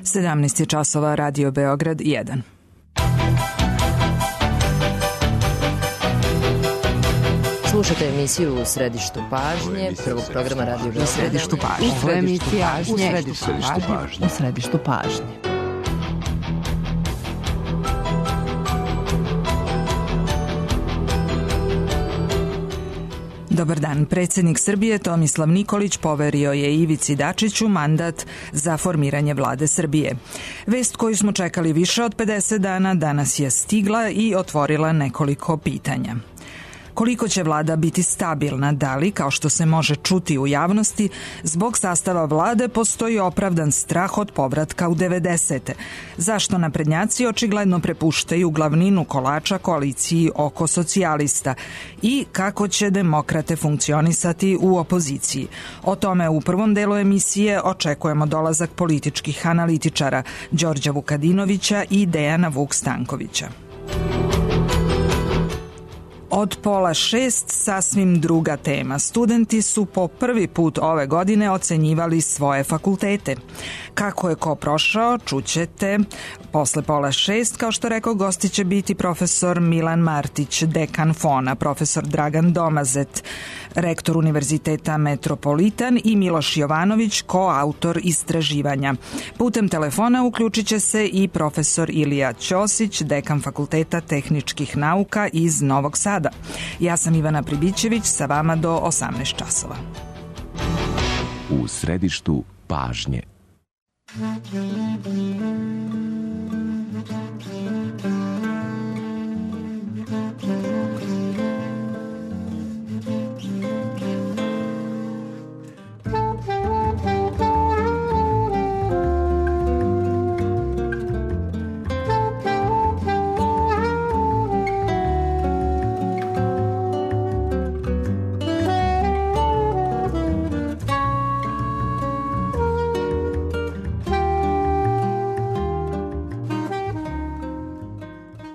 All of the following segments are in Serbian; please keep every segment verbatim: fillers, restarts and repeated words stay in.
sedamnaest je časova, Radio Beograd jedan. Slušate emisiju U središtu pažnje, prvog programa Radio Beograd. U središtu pažnje. U središtu pažnje. U središtu pažnje. U središtu pažnje. Dobar dan. Predsjednik Srbije Tomislav Nikolić poverio je Ivici Dačiću mandat za formiranje vlade Srbije. Vest koju smo čekali više od pedeset dana danas je stigla i otvorila nekoliko pitanja. Koliko će vlada biti stabilna, da li, kao što se može čuti u javnosti, zbog sastava vlade postoji opravdan strah od povratka u devedesete? Zašto naprednjaci očigledno prepuštaju glavninu kolača koaliciji oko socijalista? I kako će demokrate funkcionisati u opoziciji? O tome u prvom delu emisije očekujemo dolazak političkih analitičara Đorđa Vukadinovića i Dejana Vuk Stankovića. Od pola šest sasvim druga tema. Studenti su po prvi put ove godine ocenjivali svoje fakultete. Kako je ko prošao, čućete posle pola šest. Kao što rekao, gosti će biti profesor Milan Martić, dekan Fona, profesor Dragan Domazet, rektor Univerziteta Metropolitan i Miloš Jovanović, koautor istraživanja. Putem telefona uključit će se i profesor Ilija Ćosić, dekan Fakulteta tehničkih nauka iz Novog Sada. Ja sam Ivana Pribićević, sa vama do osamnaest časova. U središtu pažnje.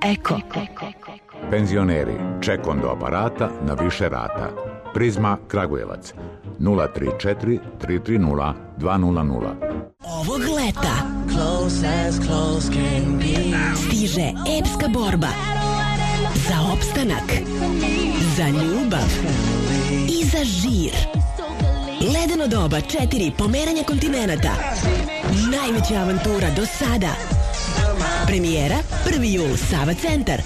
Eko. Penzioneri, ček do aparata na više rata. Prizma Kragujevac nula tri četiri tri tri nula dva nula nula. Ovog leta stiže epska borba za opstanak, za ljubav i za žir. Ledeno doba četiri pomeranja kontinenata. Najveća avantura do sada. Premijera prvi jul, Sava centar.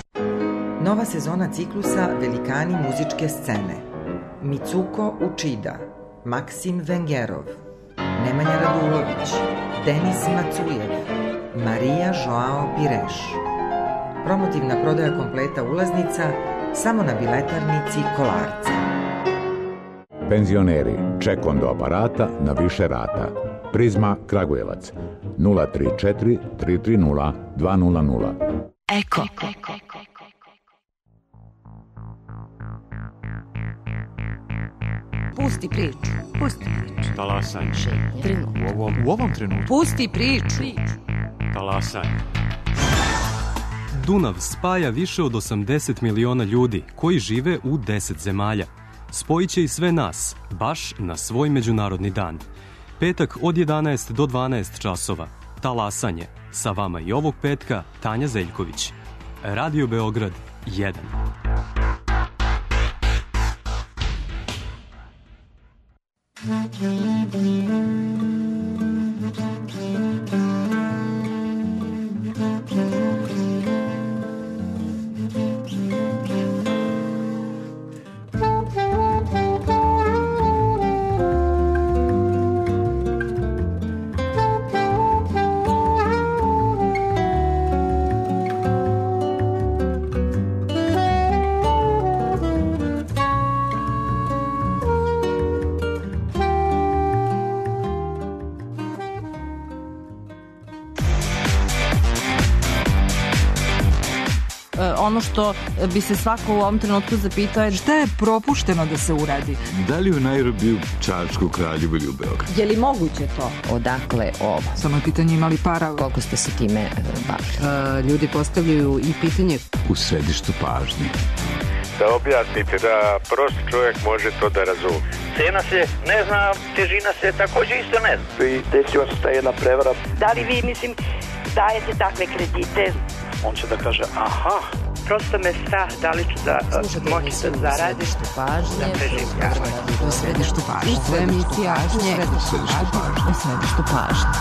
Nova sezona ciklusa Velikani muzičke scene. Mitsuko Učida, Maksim Vengerov, Nemanja Radulović, Denis Macujev, Marija Joao Pireš. Promotivna prodaja kompleta ulaznica samo na biletarnici Kolarca. Penzioneri, ček do aparata na više rata. Prizma Kragujevac nula tri četiri tri tri nula dva nula nula. Eko. Pusti priču. Pusti priču. Talasanje. U ovom, u ovom trenutku. Pusti priču. Talasanje. Dunav spaja više od osamdeset miliona ljudi koji žive u deset zemalja. Spojiće i sve nas, baš na svoj međunarodni dan. Petak od jedanaest do dvanaest časova. Talasanje. Sa vama i ovog petka Tanja Zeljković. Radio Beograd jedan. Ono što bi se svako u ovom trenutku zapitao je šta je propušteno da se uradi? Da li u Nairobiju, Čačku, Kraljevu ili u Beogradu? Je li moguće to? Odakle ovo? Samo je pitanje imali para. Koliko ste se time bavili? Uh, ljudi postavljaju i pitanje u središtu pažnje. da objasnite, da prost čovjek može to da razumije. Cena se ne zna, težina se također isto ne zna. I desila se ta jedna prevara. Da li vi, mislim, dajete takve kredite? On će da kaže, aha. Prosto me strah da li ću da moći da zaradim. Središtu pažnje. U središtu pažnje. U emisija U središtu pažnje.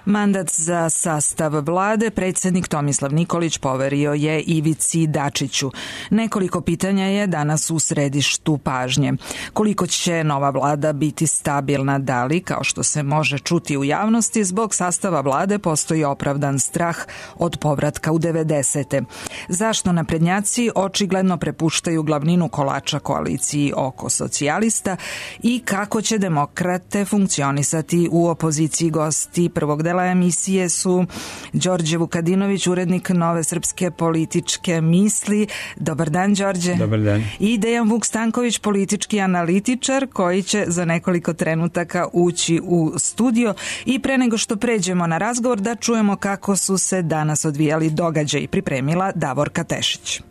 Mandat za sastav vlade predsjednik Tomislav Nikolić poverio je Ivici Dačiću. Nekoliko pitanja je danas u središtu pažnje. Koliko će nova vlada biti stabilna, da li, kao što se može čuti u javnosti, zbog sastava vlade postoji opravdan strah od povratka u devedesete. Zašto naprednjaci očigledno prepuštaju glavninu kolača koaliciji oko socijalista i kako će demokrate funkcionisati u opoziciji? Gosti prvog dela emisije su Đorđe Vukadinović, urednik Nove srpske političke misli. Dobar dan, Đorđe. Dobar dan. I Dejan Vuk Stanković, politički analitičar, koji će za nekoliko trenutaka ući u studio. I pre nego što pređemo na razgovor, da čujemo kako su se danas odvijali događaji, pripremila Davorka Tešić.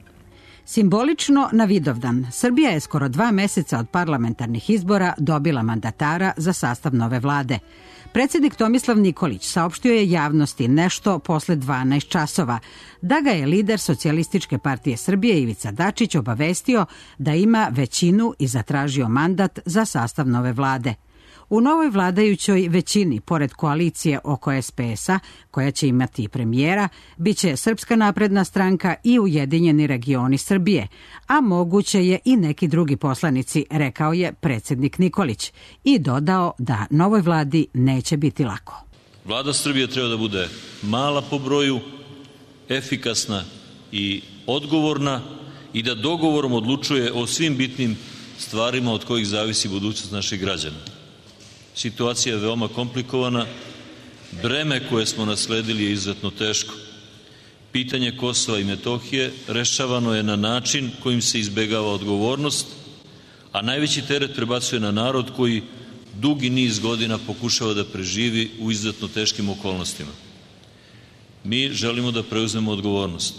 Simbolično na Vidovdan, Srbija je skoro dva meseca od parlamentarnih izbora dobila mandatara za sastav nove vlade. Predsjednik Tomislav Nikolić saopštio je javnosti nešto posle dvanaest časova da ga je lider Socijalističke partije Srbije Ivica Dačić obavestio da ima većinu i zatražio mandat za sastav nove vlade. U novoj vladajućoj većini, pored koalicije oko es pe es-a, koja će imati i premijera, bit će Srpska napredna stranka i Ujedinjeni regioni Srbije, a moguće je i neki drugi poslanici, rekao je predsjednik Nikolić i dodao da novoj vladi neće biti lako. Vlada Srbije treba da bude mala po broju, efikasna i odgovorna i da dogovorom odlučuje o svim bitnim stvarima od kojih zavisi budućnost naših građana. Situacija je veoma komplikovana, breme koje smo nasledili je izuzetno teško. Pitanje Kosova i Metohije rešavano je na način kojim se izbegava odgovornost, a najveći teret prebacuje na narod koji dugi niz godina pokušava da preživi u izuzetno teškim okolnostima. Mi želimo da preuzmemo odgovornost,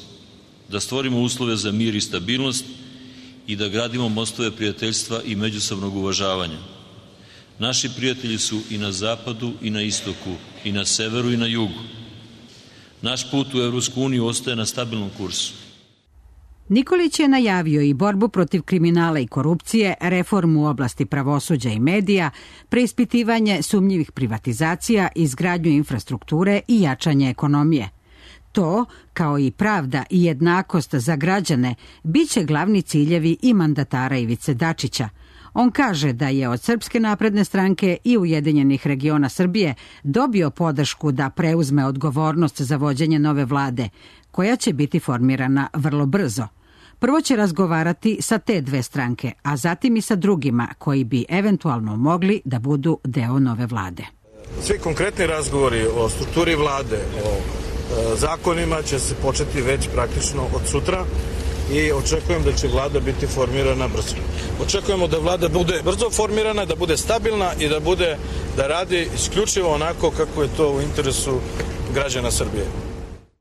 da stvorimo uslove za mir i stabilnost i da gradimo mostove prijateljstva i međusobnog uvažavanja. Naši prijatelji su i na zapadu i na istoku, i na severu i na jugu. Naš put u Evropsku uniju ostaje na stabilnom kursu. Nikolić je najavio i borbu protiv kriminala i korupcije, reformu u oblasti pravosuđa i medija, preispitivanje sumnjivih privatizacija, izgradnju infrastrukture i jačanje ekonomije. To, kao i pravda i jednakost za građane, bit će glavni ciljevi i mandatara Ivice Dačića. On kaže da je od Srpske napredne stranke i Ujedinjenih regiona Srbije dobio podršku da preuzme odgovornost za vođenje nove vlade, koja će biti formirana vrlo brzo. Prvo će razgovarati sa te dve stranke, a zatim i sa drugima koji bi eventualno mogli da budu deo nove vlade. Svi konkretni razgovori o strukturi vlade, o e, zakonima će se početi već praktično od sutra i očekujem da će vlada biti formirana brzo. Očekujemo da vlada bude brzo formirana, da bude stabilna i da bude da radi isključivo onako kako je to u interesu građana Srbije.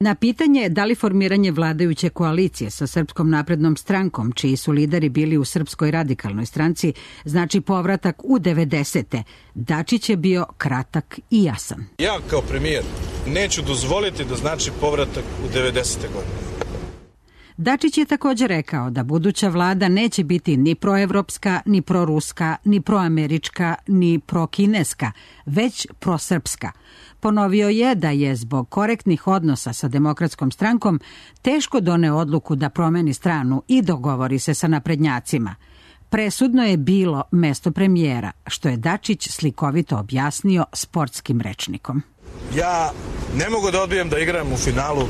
Na pitanje da li formiranje vladajuće koalicije sa Srpskom naprednom strankom, čiji su lideri bili u Srpskoj radikalnoj stranci, znači povratak u devedesete, Dačić je bio kratak i jasan. Ja kao premijer neću dozvoliti da znači povratak u devedesete godine. Dačić je također rekao da buduća vlada neće biti ni proevropska, ni proruska, ni proamerička, ni prokineska, već prosrpska. Ponovio je da je zbog korektnih odnosa sa Demokratskom strankom teško doneo odluku da promeni stranu i dogovori se sa naprednjacima. Presudno je bilo mesto premijera, što je Dačić slikovito objasnio sportskim rečnikom. Ja ne mogu da odbijem da igram u finalu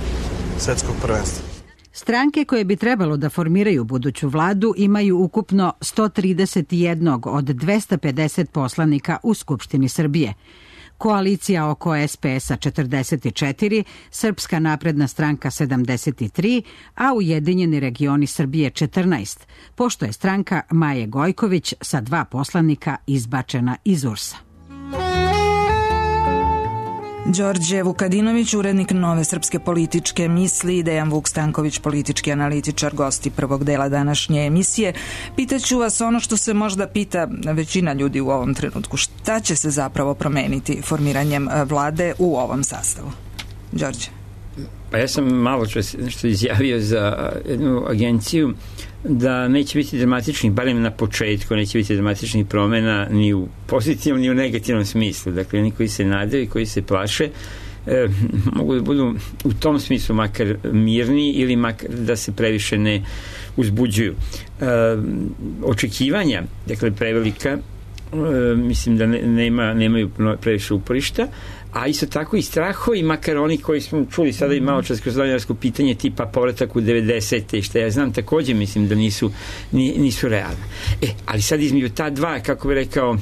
svetskog prvenstva. Stranke koje bi trebalo da formiraju buduću vladu imaju ukupno sto trideset jedan od dvesta pedeset poslanika u Skupštini Srbije. Koalicija oko es pe es-a četrdeset četiri, Srpska napredna stranka sedamdeset tri, a Ujedinjeni regioni Srbije četrnaest, pošto je stranka Maje Gojković sa dva poslanika izbačena iz U R S-a. Đorđe Vukadinović, urednik Nove srpske političke misli, Dejan Vuk Stanković, politički analitičar, gosti prvog dela današnje emisije. Pitaću vas ono što se možda pita većina ljudi u ovom trenutku. Šta će se zapravo promeniti formiranjem vlade u ovom sastavu? Đorđe. Pa ja sam malo što izjavio za jednu agenciju da neće biti dramatičnih, barem na početku, neće biti dramatičnih promena ni u pozitivnom ni u negativnom smislu. Dakle, oni koji se nadaju i koji se plaše e, mogu da budu u tom smislu makar mirni ili makar da se previše ne uzbuđuju. E, očekivanja, dakle, prevelika, e, mislim da ne, nema, nemaju previše uporišta, a isto tako i strahovi, makar oni koji smo čuli sada i malo čas kroz novinarsko pitanje tipa povratak u devedesete i što ja znam, takođe mislim da nisu, nisu realne. E, ali sad između ta dva, kako bi rekao,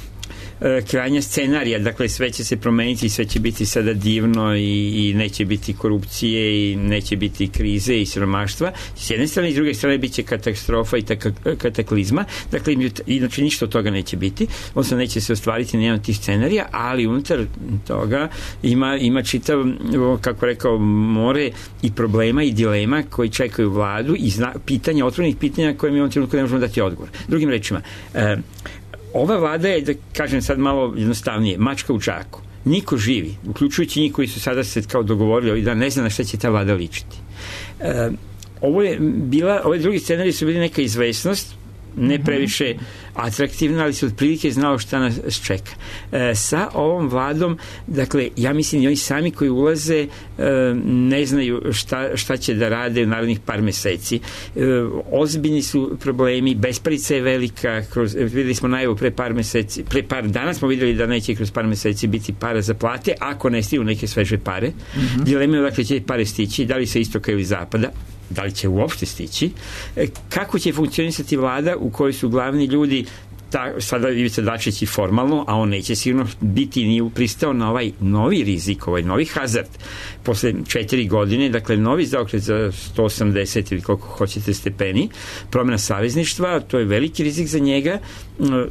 krajnja scenarija, dakle sve će se promeniti i sve će biti sada divno i, i neće biti korupcije i neće biti krize i siromaštva, s jedne strane i s druge strane bit će katastrofa i taka, kataklizma, dakle inače ništa od toga neće biti, odnosno neće se ostvariti nijedan od tih scenarija, ali unutar toga ima, ima čitav, kako rekao, more i problema i dilema koji čekaju vladu i zna, pitanja, otvorenih pitanja koje mi u ovom trenutku ne možemo dati odgovor. Drugim rečima, e, ova vlada je, da kažem sad malo jednostavnije, mačka u džaku. Niko živi, uključujući njih koji su sada se kao dogovorili ovih dana, ne zna na šta će ta vlada ličiti. E, ovo je bila, ove drugi scenariji su bili neka izvesnost, ne previše atraktivna, ali se otprilike znao šta nas čeka. E, sa ovom vladom, dakle, ja mislim i oni sami koji ulaze e, ne znaju šta, šta će da rade u narednih par meseci. E, ozbiljni su problemi, besparica je velika, kroz, videli smo najavu pre par meseci, pre par dana smo videli da neće kroz par meseci biti para za plate, ako ne stigu neke sveže pare. Mm-hmm. Dilema je dakle će pare stići, da li sa istoka ili zapada, da li će uopšte stići, kako će funkcionisati vlada u kojoj su glavni ljudi, ta, sada Ivica Dačić i formalno, a on neće sigurno biti ni pristao na ovaj novi rizik, ovaj novi hazard posle četiri godine, dakle novi zaokret za sto osamdeset ili koliko hoćete stepeni, promjena savezništva, to je veliki rizik za njega,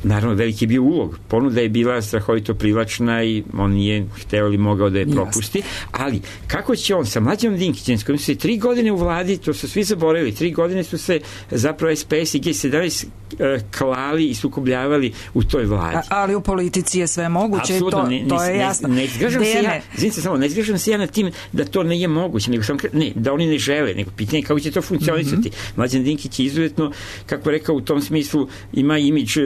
naravno veliki je bio ulog, ponuda je bila strahovito privlačna i on nije hteo ili mogao da je propusti, ali kako će on sa Mlađanom Dinkićem, s kojim su se tri godine u vladi, to su svi zaboravili, tri godine su se zapravo es pe es i ge sedamnaest klali i sukobljavali u toj vladi. A, ali u politici je sve moguće, to, ne, to je jasno. Ne, ne zgražam se ja, izvinite samo, ne zgražam se ja na tim da to nije moguće, nego sam, ne, da oni ne žele, nego pitanje kako će to funkcionisati. Mm-hmm. Mlađan Dinkić je izuzetno, kako rekao, u tom smislu ima imidž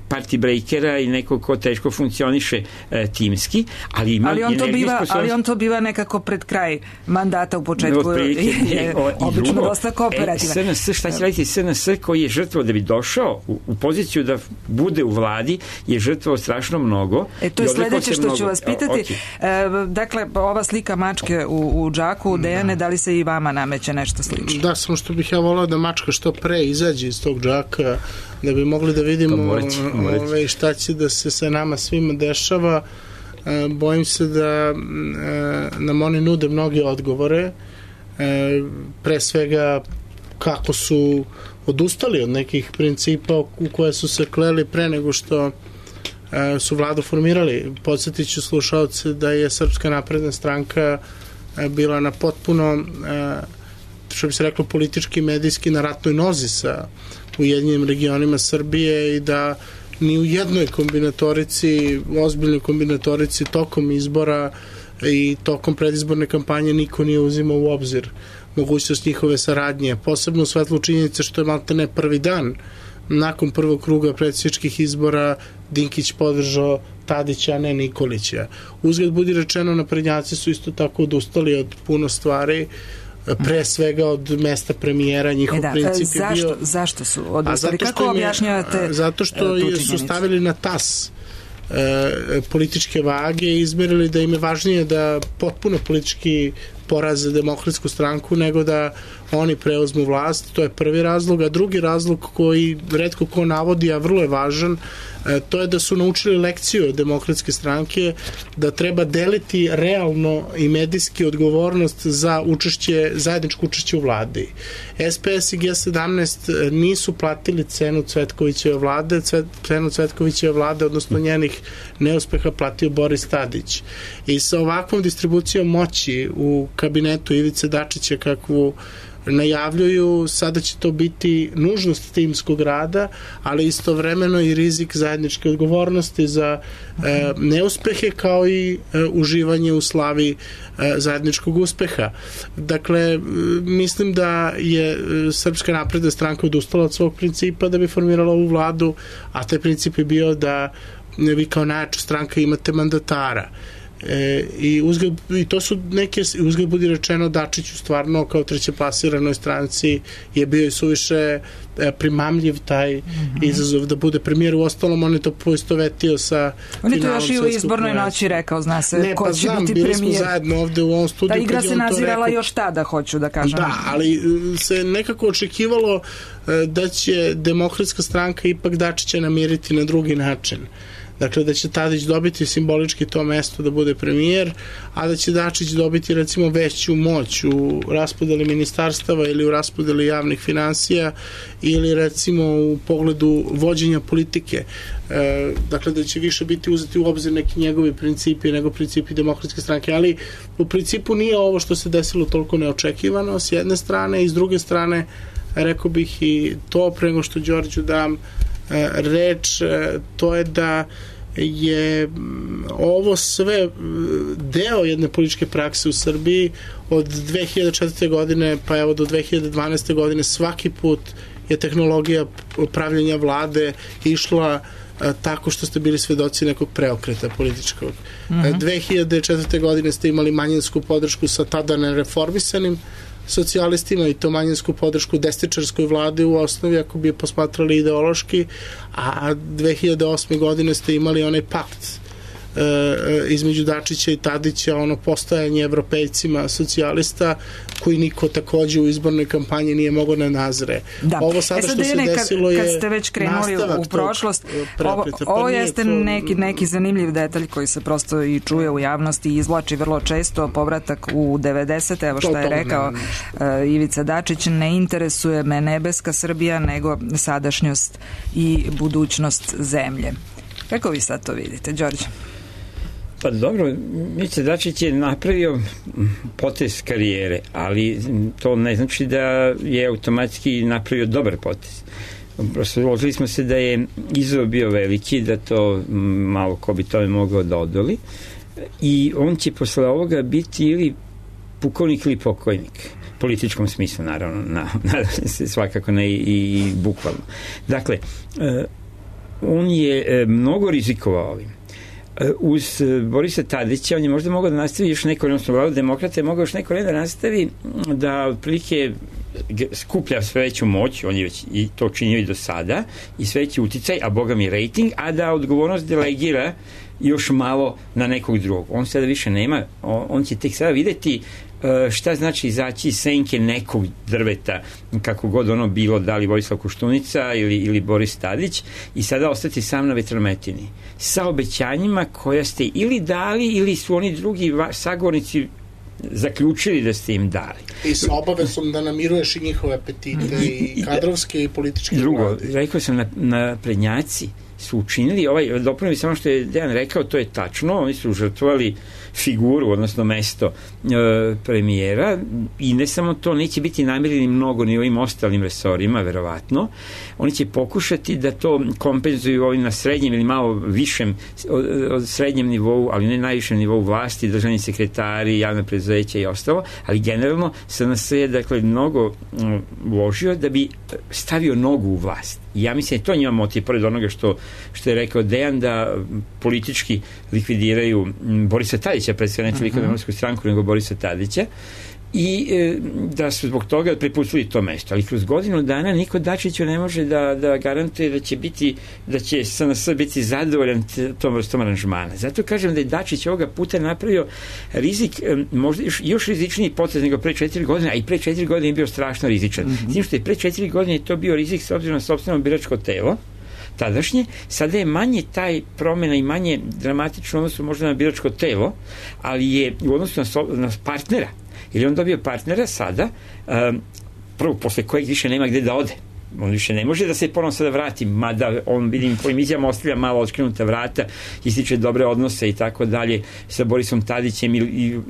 party breakera i neko ko teško funkcioniše e, timski, ali ima ali on to biva, sposobnost... ali on to biva nekako pred kraj mandata u početku no, je, je obično drugo, dosta kooperativan. E, es en es, šta će raditi es en es koji je žrtvo da bi došao u, u poziciju da bude u vladi, je žrtvo strašno mnogo. E, to je sledeće što mnogo... ću vas pitati. O, e, dakle, ova slika mačke u, u džaku, Dejane, da. da li se i vama nameće nešto slično? Da, samo što bih ja volao da mačka što pre izađe iz tog džaka, da bi mogli da vidimo moreći, moreći. Ove, šta će da se sa nama svima dešava. E, bojim se da e, nam oni nude mnoge odgovore, e, pre svega kako su odustali od nekih principa u koje su se kleli pre nego što e, su vladu formirali. Podsjetit ću slušalce da je Srpska napredna stranka e, bila na potpuno, e, što bi se reklo, politički i medijski na ratnoj nozi sa Ujedinjenim regionima Srbije i da ni u jednoj kombinatorici, ozbiljnoj kombinatorici tokom izbora i tokom predizborne kampanje niko nije uzimao u obzir mogućnost njihove saradnje, posebno u svetlu činjenice što je malte ne prvi dan nakon prvog kruga predsjedničkih izbora Dinkić podržao Tadića, a ne Nikolića. Uzgled budi rečeno, naprednjaci su isto tako odustali od puno stvari, pre svega od mesta premijera, njihov e da, princip zašto, je bio... Zašto su odustali? Kako objašnjavate? Zato što je, su stavili na tas e, političke vage i izmerili da im je važnije da potpuno politički poraze Demokratsku stranku nego da oni preuzmu vlast, to je prvi razlog, a drugi razlog koji retko ko navodi, a vrlo je važan, to je da su naučili lekciju od Demokratske stranke da treba deliti realno i medijski odgovornost za učešće, zajedničko učešće u vladi. S P S i G sedamnaest nisu platili cenu Cvetkovićeve vlade, cenu Cvetkovićeve vlade, odnosno njenih neuspeha platio Boris Tadić. I sa ovakvom distribucijom moći u kabinetu Ivice Dačića kakvu najavljuju, sada će to biti nužnost timskog rada, ali istovremeno i rizik zajedničke odgovornosti za e, neuspehe kao i e, uživanje u slavi e, zajedničkog uspeha. Dakle, mislim da je Srpska napredna stranka odustala od svog principa da bi formirala ovu vladu, a taj princip je bio da vi kao najjača stranka imate mandatara. E, i, uzgled, i to su neke, uzgled budi rečeno, Dačiću stvarno kao trećeplasiranoj stranci je bio i suviše e, primamljiv taj mm-hmm. izazov da bude premijer. U ostalom on je to poistovetio sa on je to još i u izbornoj noći rekao, zna se ne, ko pa će znam, biti bili premijer. Smo zajedno ovde u ovom studiju. Ta igra se nazirala rekao, još tada, hoću da kažem. Da, ali se nekako očekivalo da će Demokratska stranka ipak Dačića namiriti na drugi način. Dakle, da će Tadić dobiti simbolički to mesto da bude premijer, a da će Dačić dobiti recimo veću moć u raspodeli ministarstava ili u raspodeli javnih finansija ili recimo u pogledu vođenja politike. E, dakle, da će više biti uzeti u obzir neki njegovi principi nego principi Demokratske stranke, ali u principu nije ovo što se desilo toliko neočekivano s jedne strane i s druge strane rekao bih i to pre nego što Đorđu dam reč, to je da je ovo sve deo jedne političke prakse u Srbiji od dve hiljade četvrte. godine pa evo do dve hiljade dvanaeste. godine svaki put je tehnologija pravljenja vlade išla tako što ste bili svedoci nekog preokreta političkog. Mm-hmm. dve hiljade četvrte. godine ste imali manjinsku podršku sa tada nereformisanim socijalistima i to manjinsku podršku desničarskoj vladi u osnovi ako bi je posmatrali ideološki, a dve hiljade osme. godine ste imali onaj pakt e, između Dačića i Tadića, ono postojanje evropejcima socijalista koji niko takođe u izbornoj kampanji nije mogao da nazre. Da. Ovo sada e sad što se desilo kad, je kad ste već krenuli u prošlost, ovo, ovo jeste to... neki, neki zanimljiv detalj koji se prosto i čuje u javnosti i izvlači vrlo često, povratak u devedesete. Evo šta je rekao uh, Ivica Dačić, ne interesuje me nebeska Srbija nego sadašnjost i budućnost zemlje. Kako vi sad to vidite, Đorđe? Pa dobro, Ivica Dačić je napravio potez karijere, ali to ne znači da je automatski napravio dobar potez. Prosto složili smo se da je izazov bio veliki, da to malo ko bi tome mogao da odoli i on će posle ovoga biti ili pukovnik ili pokojnik. Političkom smislu, naravno, na, nadam se svakako ne i, i bukvalno. Dakle, on je mnogo rizikovao ovim. Uz Borisa Tadića on je možda mogao da nastavi još neko, odnosno vladu demokrata je mogao još neko da nastavi da otprilike skuplja sve veću moć, on je već i to činio i do sada, i sve veći uticaj, a boga mi rejting, a da odgovornost delegira još malo na nekog drugog. On sada više nema, on, on će tek sada videti šta znači izaći iz senke nekog drveta, kako god ono bilo, da li Vojislav Koštunica ili, ili Boris Tadić, i sada ostati sam na vetrometini sa obećanjima koja ste ili dali ili su oni drugi sagovornici zaključili da ste im dali. I sa obavezom da namiruješ i njihove apetite i, i kadrovske i političke. Drugo, vlade. Rekao sam na, na prednjaci su učinili, ovaj, dopunili samo što je Dejan rekao, to je tačno, oni su žrtvovali figuru, odnosno mesto e, premijera, i ne samo to, neće biti namireni mnogo ni ovim ostalim resorima, verovatno. Oni će pokušati da to kompenzuju ovim na srednjem ili malo višem od, od srednjem nivou, ali ne najvišem nivou vlasti, državni sekretari, javne preduzeća i ostalo, ali generalno S N S je dakle mnogo uložio da bi stavio nogu u vlast. I ja mislim da to njima motiv, pored onoga što, što je rekao Dejan, da politički likvidiraju Borisa Tadića, predstavlja ne toliko Demokratsku stranku, nego Borisa Tadića, i e, da su zbog toga prepustili to mesto. Ali kroz godinu dana niko Dačiću ne može da, da garantuje da će biti, da će S N S biti zadovoljan tom vrstom aranžmana. Zato kažem da je Dačić ovoga puta napravio rizik, e, možda još, još rizičniji potez nego pre četiri godine, a i pre četiri godine je bio strašno rizičan. Mm-hmm. S tim što je pre četiri godine to bio rizik s obzirom na sopstveno biračko telo, tadašnje, sada je manje taj promjena i manje dramatično odnosu možda na biračko telo, ali je u odnosu na, so, na partnera, jer je on dobio partnera sada, um, prvo, posle kojeg više nema gde da ode. On više ne može da se ponovno sada vrati, mada on, vidim, po emisijama ostavlja malo otkrenuta vrata, ističe dobre odnose i tako dalje sa Borisom Tadićem i, i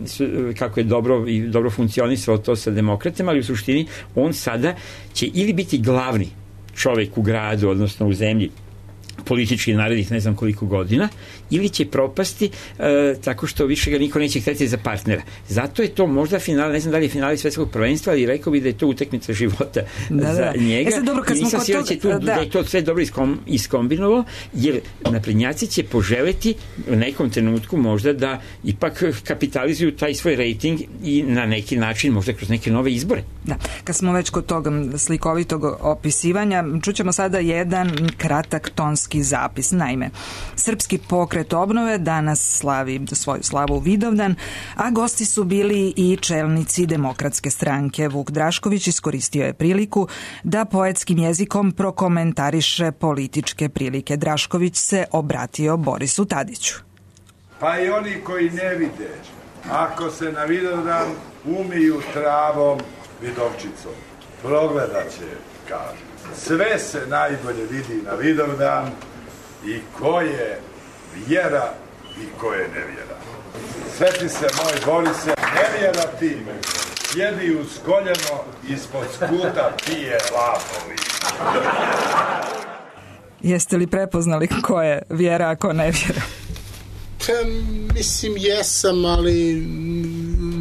kako je dobro i dobro funkcionisalo to sa demokratama, ali u suštini on sada će ili biti glavni čovjek u gradu, odnosno u zemlji, politički narednih ne znam koliko godina, ili će propasti e, tako što više ga niko neće hteti za partnera. Zato je to možda final, ne znam da li je finale svetskog prvenstva, ali rekao bi da je to utakmica života da, za da. njega. E dobro, kad nisam siguran da, da. da je to sve dobro iskom, iskombinovao, jer naprednjaci će poželeti u nekom trenutku možda da ipak kapitalizuju taj svoj rejting i na neki način možda kroz neke nove izbore. Da. Kad smo već kod tog slikovitog opisivanja, čućemo sada jedan kratak tonski zapis. Naime, Srpski pokret obnove danas slavi svoju slavu Vidovdan, a gosti su bili i čelnici Demokratske stranke. Vuk Drašković iskoristio je priliku da poetskim jezikom prokomentariše političke prilike. Drašković se obratio Borisu Tadiću. Pa i oni koji ne vide, ako se na Vidovdan umiju travom Vidovčicom, progledat će, kaže. Sve se najbolje vidi na Vidovdan i ko je vjera i ko je nevjera. Sjeti se, moj Borise, nevjera ti, sjedi uz koljeno, ispod skuta pije lapovi. Jeste li prepoznali ko je vjera, a ko nevjera? Pa, mislim, jesam, ali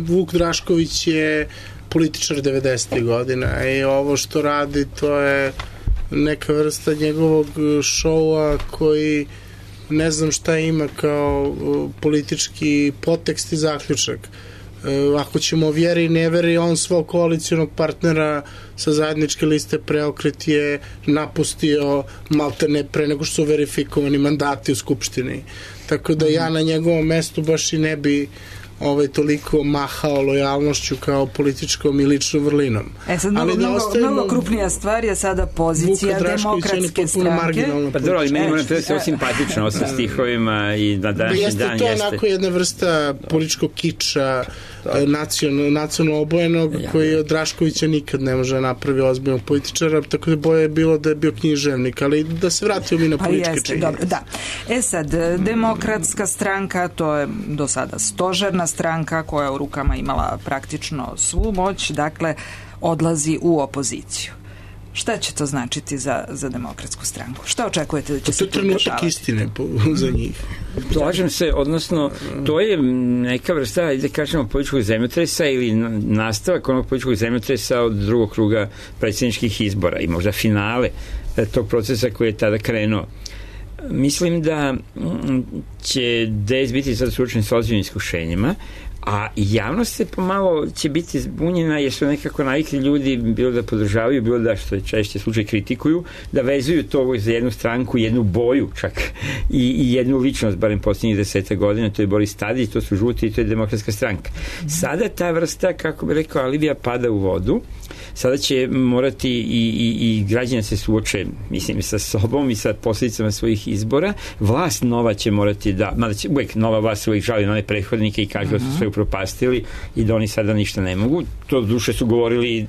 Vuk Drašković je političar devedesetih godina i ovo što radi to je neka vrsta njegovog šoua koji ne znam šta ima kao politički podtekst i zaključak. Ako ćemo o vjeri i neveri, on svog koalicionog partnera sa zajedničke liste Preokret je napustio maltene pre nego što su verifikovani mandati u Skupštini. Tako da ja na njegovom mestu baš i ne bi ovaj, toliko mahao lojalnošću kao političkom i ličnom vrlinom. E sad, mnogo, da ostavimo, mnogo krupnija stvar je sada pozicija Demokratske stranke. Pa dobro, ali meni moram da se simpatično sa stihovima i na današnji jeste dan to jeste. To onako jedna vrsta političkog kiča, nacionalno, nacionalno obojenog, ja, koji od Draškovića nikad ne može napravi ozbiljnog političara, tako da boje je bilo da je bio književnik, ali da se vratimo mi na političke pa činjenice. Dobro, da. E sad, Demokratska stranka, to je do sada stožerna stranka koja je u rukama imala praktično svu moć, dakle, odlazi u opoziciju. Šta će to značiti za, za Demokratsku stranku? Šta očekujete da će to se tu dešavati? To je trenutak istine po, za njih. Slažem se, odnosno, to je neka vrsta, da kažemo, političkog zemljotresa ili nastavak onog političkog zemljotresa od drugog kruga predsjedničkih izbora i možda finale tog procesa koji je tada krenuo. Mislim da će D S biti sad suočen s ozbiljnim iskušenjima, a javnost se pomalo će biti zbunjena jer su nekako navikli ljudi bilo da podržavaju, bilo da, što je češće slučaj, kritikuju, da vezuju to za jednu stranku, jednu boju čak i, i jednu ličnost, barem posljednjih deseta godina, to je Boris Tadić, to su žuti i to je Demokratska stranka. Sada ta vrsta, kako bi rekao, alibija pada u vodu. Sada će morati i, i, i građani se suoče, mislim, sa sobom i sa posljedicama svojih izbora. Vlast nova će morati da, mada će uvijek nova vlast uvijek žali na one prethodnike i kaže da su sve upropastili i da oni sada ništa ne mogu. To duše su govorili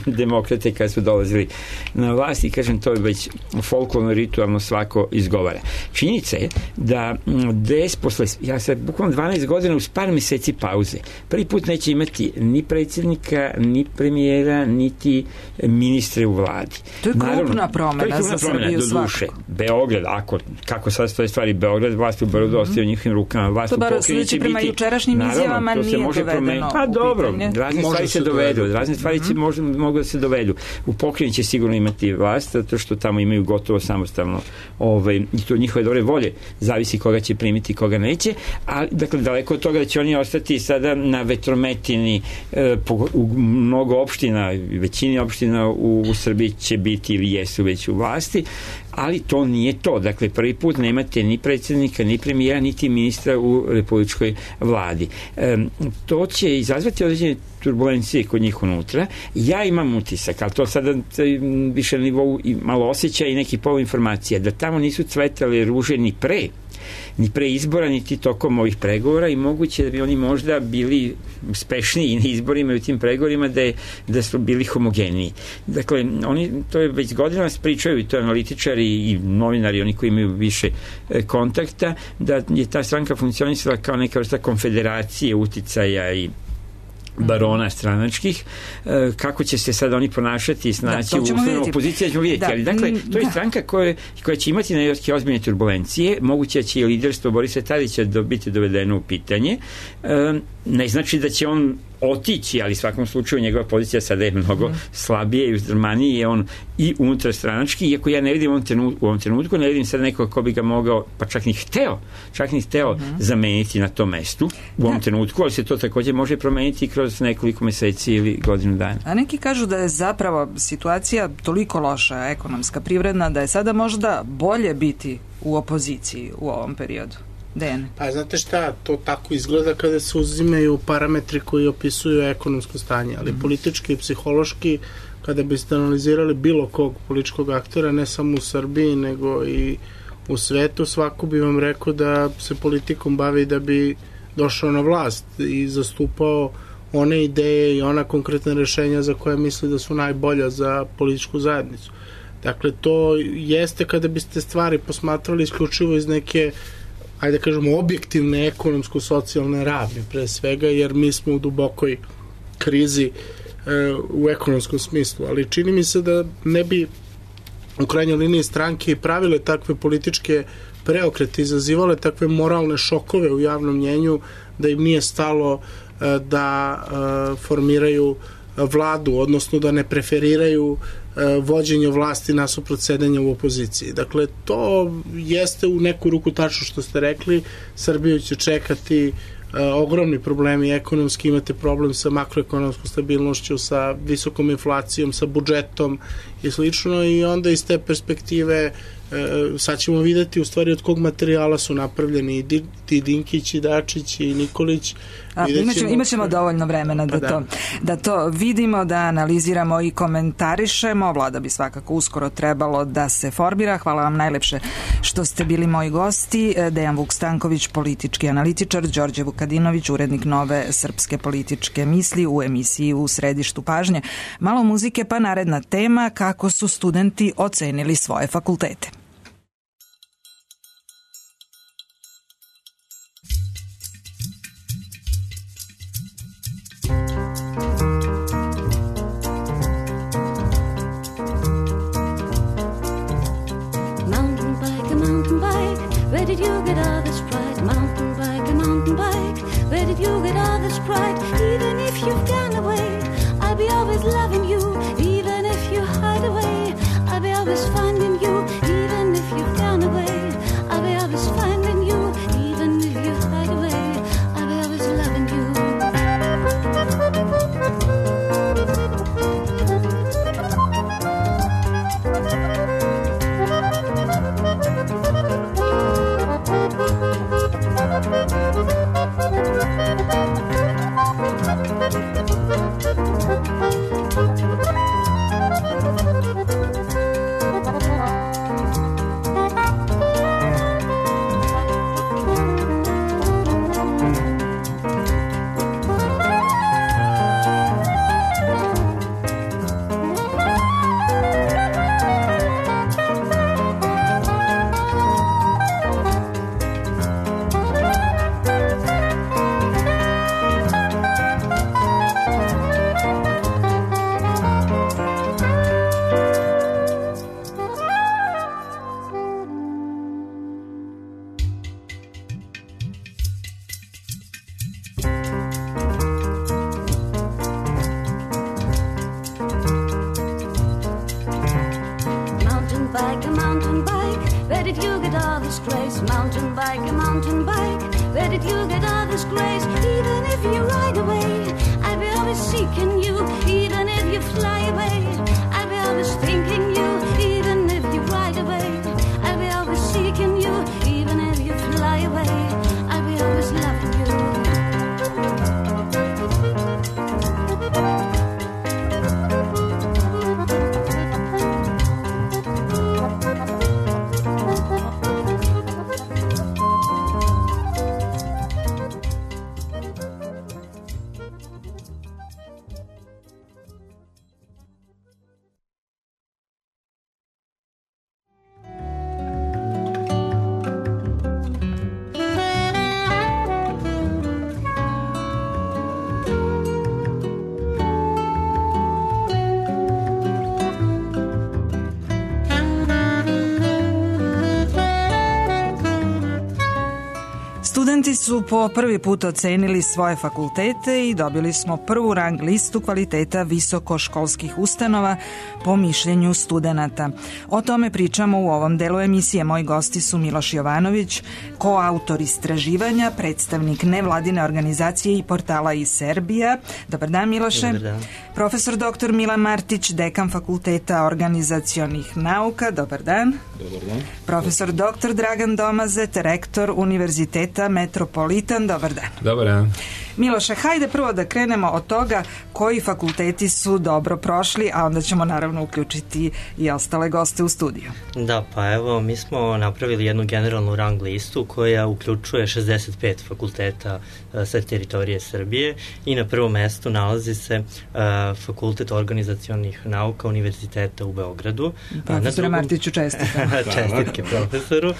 demokrate kad su dolazili na vlast i kažem, to je već folklorno, ritualno svako izgovara. Činjenica je da D S posle, ja sad bukvalno dvanaest godina uz par meseci pauze, prvi put neće imati ni predsjednika, ni premijera, niti ministre u vladi. To je krupna promjena za Srbiju svakako. Beograd, ako, kako sad stoje stvari, Beograd, vlast u Beogradu ostaje u njihovim rukama, vlast u pokrajini će biti, prema jučerašnjim izjavama godinama to se nije može dovedeno pa u dobro, pitanje. razne Može stvari se se dovedu, dovedu. razne stvari će, može, mogu da se dovedu. U pokrajini će sigurno imati vlast, zato što tamo imaju gotovo samostalno ovaj, i to njihove dobre volje, zavisi koga će primiti, koga neće, a dakle, daleko od toga da će oni ostati sada na vetrometini e, po, u mnogo opština, većini opština u, u Srbiji će biti ili jesu već u vlasti, ali to nije to. Dakle, prvi put nemate ni predsjednika, ni premijera, niti ministra u republičkoj vladi. E, to će izazvati određene turbulencije kod njih unutra. Ja imam utisak, ali to sada više na nivou i malo osjećaja i neki polu informacija, da tamo nisu cvetale ruže ni pre ni pre izbora, niti tokom ovih pregovora i moguće da bi oni možda bili uspešniji na izborima i u tim pregovorima da, je, da su bili homogeniji. Dakle, oni to je već godinama pričaju i to analitičari i novinari, oni koji imaju više e, kontakta, da je ta stranka funkcionisala kao neka vrsta konfederacije uticaja i barona stranačkih, kako će se sad oni ponašati i snaći da, u uslovima opozicije, ćemo vidjeti, da, ali dakle, to je da. stranka koja, koja će imati neke ozbiljne turbulencije, moguće će i liderstvo Borisa Tadića do, biti dovedeno u pitanje, ne znači da će on otići, ali u svakom slučaju njegova pozicija sada je mnogo mm. slabije i uzdrmaniji je on i unutarstranački, iako ja ne vidim u ovom trenutku, u ovom trenutku ne vidim sad nekoga ko bi ga mogao, pa čak ni hteo, čak ni hteo mm. zameniti na tom mestu u ovom da. trenutku, ali se to također može promeniti kroz nekoliko meseci ili godinu dana. A neki kažu da je zapravo situacija toliko loša, ekonomska, privredna, da je sada možda bolje biti u opoziciji u ovom periodu. Dejan. Pa znate šta, to tako izgleda kada se uzimaju parametri koji opisuju ekonomsko stanje, ali mm. politički i psihološki, kada biste analizirali bilo kog političkog aktora, ne samo u Srbiji, nego i u svetu, svako bi vam rekao da se politikom bavi da bi došao na vlast i zastupao one ideje i ona konkretna rešenja za koje misli da su najbolja za političku zajednicu. Dakle, to jeste kada biste stvari posmatrali isključivo iz neke, ajde da kažemo, objektivne ekonomsko-socijalne ravni pre svega, jer mi smo u dubokoj krizi e, u ekonomskom smislu, ali čini mi se da ne bi u krajnjoj liniji stranke pravile takve političke preokrete, izazivale takve moralne šokove u javnom mnjenju, da im nije stalo e, da e, formiraju vladu, odnosno da ne preferiraju vođenje vlasti nasuprot sedenja u opoziciji. Dakle, to jeste u neku ruku tačno što ste rekli. Srbiju će čekati uh, ogromni problemi ekonomski, imate problem sa makroekonomskom stabilnošću, sa visokom inflacijom, sa budžetom i slično, i onda iz te perspektive uh, sad ćemo videti u stvari od kog materijala su napravljeni i ti Dinkić i Dačić i Nikolić. A, imaćemo, imaćemo dovoljno vremena da, da. To, da to vidimo, da analiziramo i komentarišemo. Vlada bi svakako uskoro trebalo da se formira. Hvala vam najlepše što ste bili moji gosti. Dejan Vuk-Stanković, politički analitičar, Đorđe Vukadinović, urednik Nove srpske političke misli u emisiji U središtu pažnje. Malo muzike, pa naredna tema, kako su studenti ocenili svoje fakultete. Where did you get all this pride? Mountain bike, a mountain bike. Where did you get all this pride? Even if you've gone away, I'll be always loving you. Even if you hide away, I'll be always finding you. Even if you've gone away, I'll be always finding you. Even if you hide away, I'll be always loving you. disgrace? Mountain bike, a mountain bike. Where did you get all this grace? Even if you ride away, I'll be always seeking you. Even if you fly away, I'll be always thinking you. Even if you ride away, I'll be always seeking you. Even if you fly away, I'll be always loving you. Studenti su po prvi put ocenili svoje fakultete i dobili smo prvu rang listu kvaliteta visokoškolskih ustanova po mišljenju studenata. O tome pričamo u ovom delu emisije. Moji gosti su Miloš Jovanović, koautor istraživanja, predstavnik nevladine organizacije i portala i Serbija. Dobar dan, Miloše. Dobar dan. Profesor doktor Milan Martić, dekan Fakulteta organizacionih nauka. Dobar dan. Dobar dan. Profesor doktor Dragan Domazet, rektor Univerziteta Metropolitan. Dobar dan. Dobar dan. Miloše, hajde prvo da krenemo od toga koji fakulteti su dobro prošli, a onda ćemo naravno uključiti i ostale goste u studiju. Da, pa evo, mi smo napravili jednu generalnu rang listu koja uključuje šezdeset pet fakulteta uh, sa teritorije Srbije i na prvom mestu nalazi se uh, Fakultet organizacionih nauka Univerziteta u Beogradu. Profesore drugom... Martiću, čestitam. Čestitke profesoru. Uh,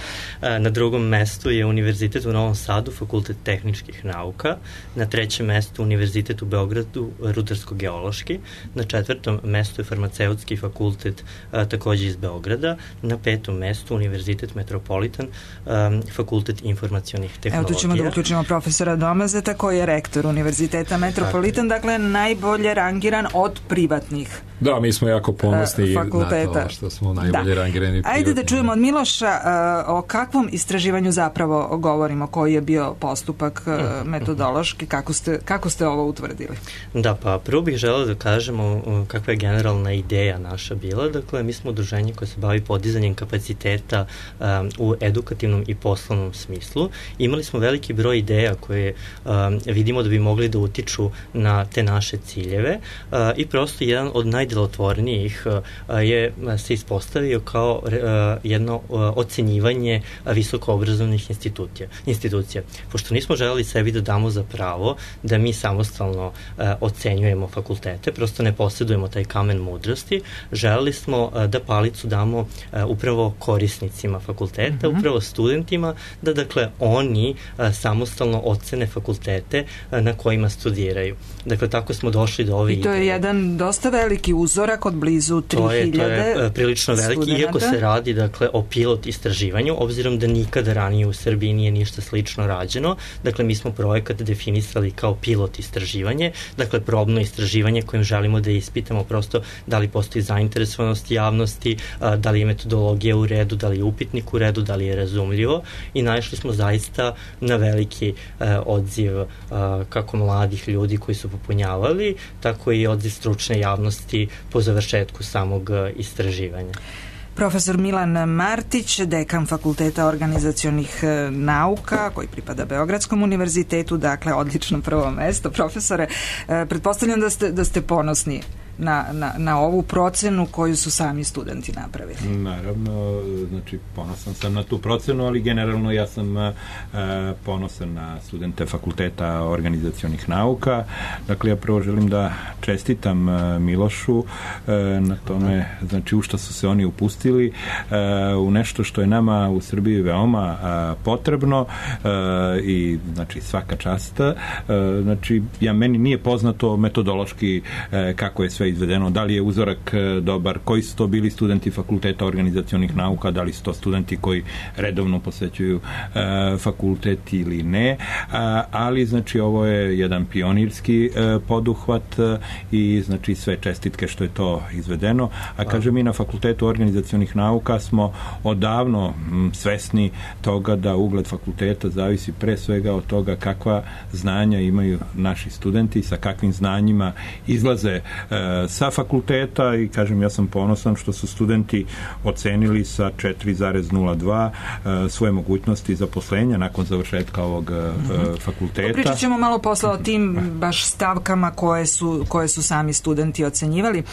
na drugom mestu je Univerzitet u Novom Sadu, Fakultet tehničkih nauka. Na trećem mestu Univerzitet u Beogradu, Rudarsko-geološki. Na četvrtom mestu je Farmaceutski fakultet, a, takođe iz Beograda. Na petom mestu Univerzitet Metropolitan, a, Fakultet informacionih tehnologija. Evo tu ćemo da uključimo profesora Domazeta koji je rektor Univerziteta Metropolitan, dakle najbolje rangiran od privatnih. Da, mi smo jako ponosni fakulteta. Na to što smo najbolje da. rangirani. Ajde da čujemo od Miloša uh, o kakvom istraživanju zapravo govorimo, koji je bio postupak uh, metodološki, kako ste, kako ste ovo utvrdili? Da, pa prvo bih želeo da kažemo kakva je generalna ideja naša bila. Dakle, mi smo udruženje koje se bavi podizanjem kapaciteta um, u edukativnom i poslovnom smislu. Imali smo veliki broj ideja koje um, vidimo da bi mogli da utiču na te naše ciljeve uh, i prosto jedan od najdelotvornijih uh, je se ispostavio kao uh, jedno uh, ocenjivanje visokoobrazovnih institucija. institucija. Pošto nismo želeli sebi da damo za pravo da mi samostalno uh, ocenjujemo fakultete, prosto ne posjedujemo taj kamen mudrosti, želeli smo uh, da palicu damo uh, upravo korisnicima fakulteta, mm-hmm. upravo studentima, da dakle oni uh, samostalno ocene fakultete uh, na kojima studiraju. Dakle, tako smo došli do ove ideje. I to je ideje. jedan dosta veliki uzorak od blizu tri hiljade To je, to je uh, prilično veliki, studenta. Iako se radi dakle o pilot istraživanju, obzirom da nikada ranije u Srbiji nije ništa slično rađeno. Dakle, mi smo projekat definisali kao pilot istraživanje, dakle probno istraživanje kojim želimo da ispitamo prosto da li postoji zainteresovanost javnosti, da li je metodologija u redu, da li je upitnik u redu, da li je razumljivo i naišli smo zaista na veliki odziv kako mladih ljudi koji su popunjavali, tako i odziv stručne javnosti po završetku samog istraživanja. Profesor Milan Martić, dekan Fakulteta organizacionih nauka, koji pripada Beogradskom univerzitetu, dakle odlično prvo mesto. Profesore, pretpostavljam da ste, da ste ponosni na, na, na ovu procenu koju su sami studenti napravili. Naravno, znači ponosan sam na tu procenu, ali generalno ja sam uh, ponosan na studente Fakulteta organizacionih nauka. Dakle, ja prvo želim da čestitam uh, Milošu uh, na tome, znači u što su se oni upustili, uh, u nešto što je nama u Srbiji veoma uh, potrebno uh, i znači svaka čast. Uh, znači, ja meni nije poznato metodološki uh, kako je sve je izvedeno, da li je uzorak dobar, koji su to bili studenti fakulteta organizacionih nauka, da li su to studenti koji redovno posvećuju fakultet ili ne, ali znači ovo je jedan pionirski poduhvat i znači sve čestitke što je to izvedeno, a kaže mi na fakultetu organizacionih nauka smo odavno svesni toga da ugled fakulteta zavisi pre svega od toga kakva znanja imaju naši studenti, sa kakvim znanjima izlaze e, sa fakulteta i kažem ja sam ponosan što su studenti ocenili sa četiri zarez nula dva e, svoje mogućnosti zaposlenja nakon završetka ovog mm-hmm. e, fakulteta. Pričat ćemo malo posle o tim baš stavkama koje su, koje su sami studenti ocenjivali.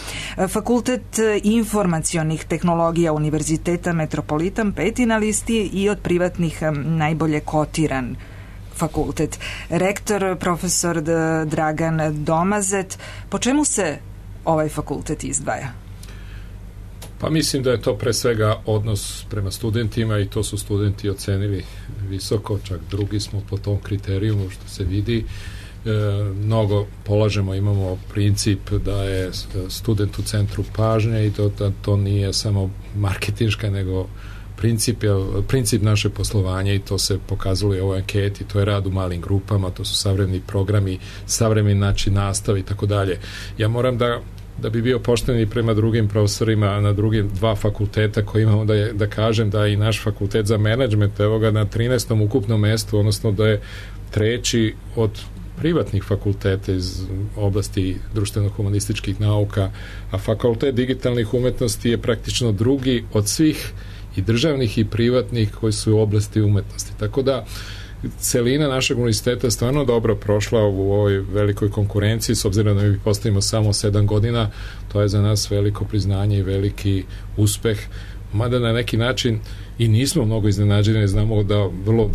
Fakultet informacionih tehnologija Univerziteta Metropolitan peti na listi i od privatnih najbolje kotiran fakultet. Rektor profesor Dragan Domazet, po čemu se ovaj fakultet izdvaja? Pa mislim da je to pre svega odnos prema studentima i to su studenti ocenili visoko, čak drugi smo po tom kriterijumu što se vidi. E, mnogo polažemo, imamo princip da je student u centru pažnje i to, da to nije samo marketinška nego Princip, je, princip naše poslovanja i to se pokazalo i u ovoj anketi, to je rad u malim grupama, to su savremeni programi, savremeni način nastave i tako dalje. Ja moram da, da bi bio pošten i prema drugim profesorima na drugim dva fakulteta koji imamo da, je, da kažem da i naš fakultet za menadžment, evo ga na trinaestom ukupnom mestu, odnosno da je treći od privatnih fakulteta iz oblasti društveno-humanističkih nauka, a fakultet digitalnih umetnosti je praktično drugi od svih i državnih i privatnih koji su u oblasti umetnosti. Tako da celina našeg univerziteta je stvarno dobro prošla u ovoj velikoj konkurenciji, s obzirom da mi postavimo samo sedam godina, to je za nas veliko priznanje i veliki uspeh, mada na neki način i nismo mnogo iznenađeni, znamo da vrlo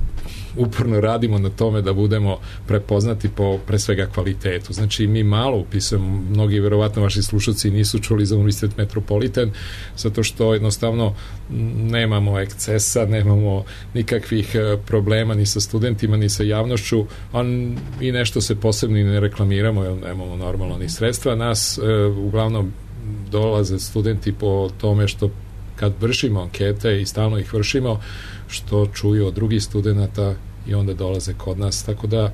uporno radimo na tome da budemo prepoznati po pre svega kvalitetu. Znači mi malo upisujemo, mnogi verovatno vaši slušalci nisu čuli za Univerzitet Metropolitan, zato što jednostavno nemamo ekscesa, nemamo nikakvih problema ni sa studentima, ni sa javnošću, a i nešto se posebno i ne reklamiramo, jer nemamo normalno ni sredstva. Nas e, uglavnom dolaze studenti po tome što kad vršimo ankete i stalno ih vršimo, što čuju od drugih studenta i onda dolaze kod nas. Tako da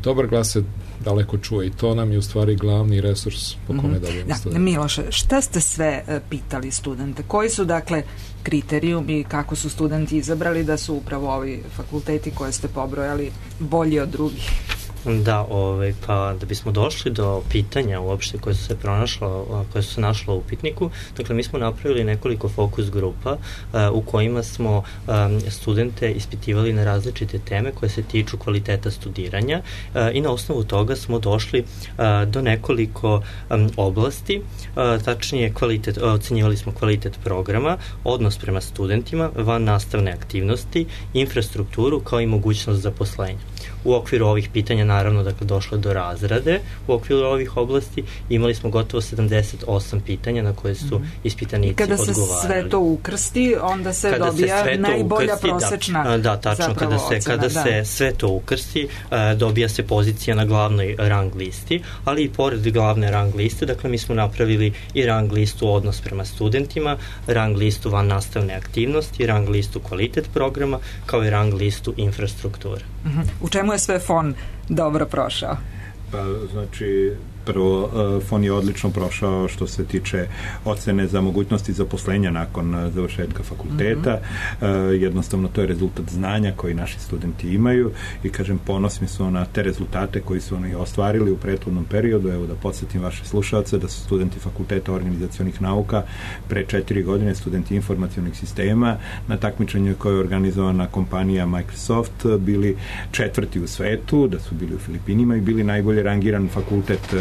dobar glas se daleko čuje i to nam je u stvari glavni resurs po kome mm-hmm. dobijemo da, studenta. Miloše, šta ste sve uh, pitali studente? Koji su dakle kriterijumi, kako su studenti izabrali da su upravo ovi fakulteti koje ste pobrojali bolji od drugih? Da, ovaj, pa da bismo došli do pitanja uopšte koje su se pronašla, koje su se našla u upitniku, dakle mi smo napravili nekoliko fokus grupa uh, u kojima smo um, studente ispitivali na različite teme koje se tiču kvaliteta studiranja uh, i na osnovu toga smo došli uh, do nekoliko um, oblasti, uh, tačnije kvalitet, uh, ocenjivali smo kvalitet programa, odnos prema studentima, van nastavne aktivnosti, infrastrukturu kao i mogućnost zaposlenja. U okviru ovih pitanja naravno dakle došlo do razrade u okviru ovih oblasti, imali smo gotovo sedamdeset osam pitanja na koje su ispitanici odgovarali. Kada se sve to ukrsti, onda se kada dobija se najbolja ukrsti, prosečna da, da, tačno, kada se, ocena, kada da. se sve to ukrsti, uh, dobija se pozicija na glavnoj rang listi, ali i pored glavne rang liste, dakle mi smo napravili i rang listu odnos prema studentima, rang listu van nastavne aktivnosti, rang listu kvalitet programa, kao i rang listu infrastrukture. Uh-huh. U čemu je sve F O N dobro prošao? Pa, znači, prvo, F O N je odlično prošao što se tiče ocene za mogućnosti zaposlenja nakon završetka fakulteta. Mm-hmm. Jednostavno, to je rezultat znanja koji naši studenti imaju i, kažem, ponosni su na te rezultate koji su oni ostvarili u prethodnom periodu. Evo da podsjetim vaše slušalce da su studenti Fakulteta organizacionih nauka pre četiri godine, studenti informacionih sistema, na takmičenju koje je organizovana kompanija Microsoft, bili četvrti u svetu, da su bili u Filipinima i bili najbolje rangiran fakultet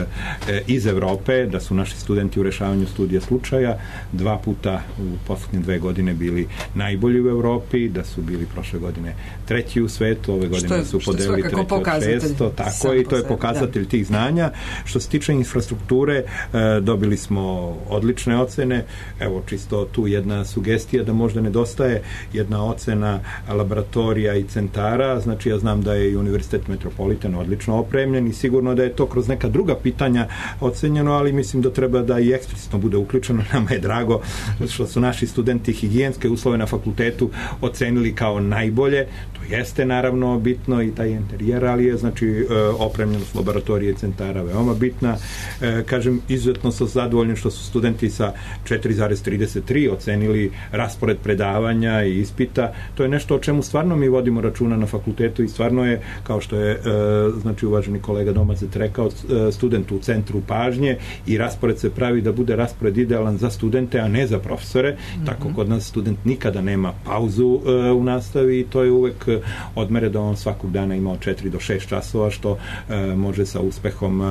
iz Evrope, da su naši studenti u rešavanju studija slučaja dva puta u poslednje dve godine bili najbolji u Evropi, da su bili prošle godine treći u svetu, ove godine je, su podelili treći od šesto, tako je, i to je pokazatelj da. tih znanja. Što se tiče infrastrukture, dobili smo odlične ocene, evo čisto tu jedna sugestija da možda nedostaje jedna ocena laboratorija i centara, znači ja znam da je i Univerzitet Metropolitan odlično opremljen i sigurno da je to kroz neka druga pitanja pitanja ocenjeno, ali mislim da treba da i eksplicitno bude uključeno. Nama je drago što su naši studenti higijenske uslove na fakultetu ocenili kao najbolje. To jeste naravno bitno i taj interijer, ali je znači opremljenost laboratorije i centara veoma bitna. Kažem, izuzetno sam zadovoljan što su studenti sa četiri zarez trideset tri ocenili raspored predavanja i ispita. To je nešto o čemu stvarno mi vodimo računa na fakultetu i stvarno je, kao što je znači uvaženi kolega Domazet rekao, student u centru pažnje i raspored se pravi da bude raspored idealan za studente, a ne za profesore. Mm-hmm. Tako kod nas student nikada nema pauzu u nastavi i to je uvek odmere da on svakog dana ima od četiri do šest časova, što može sa uspehom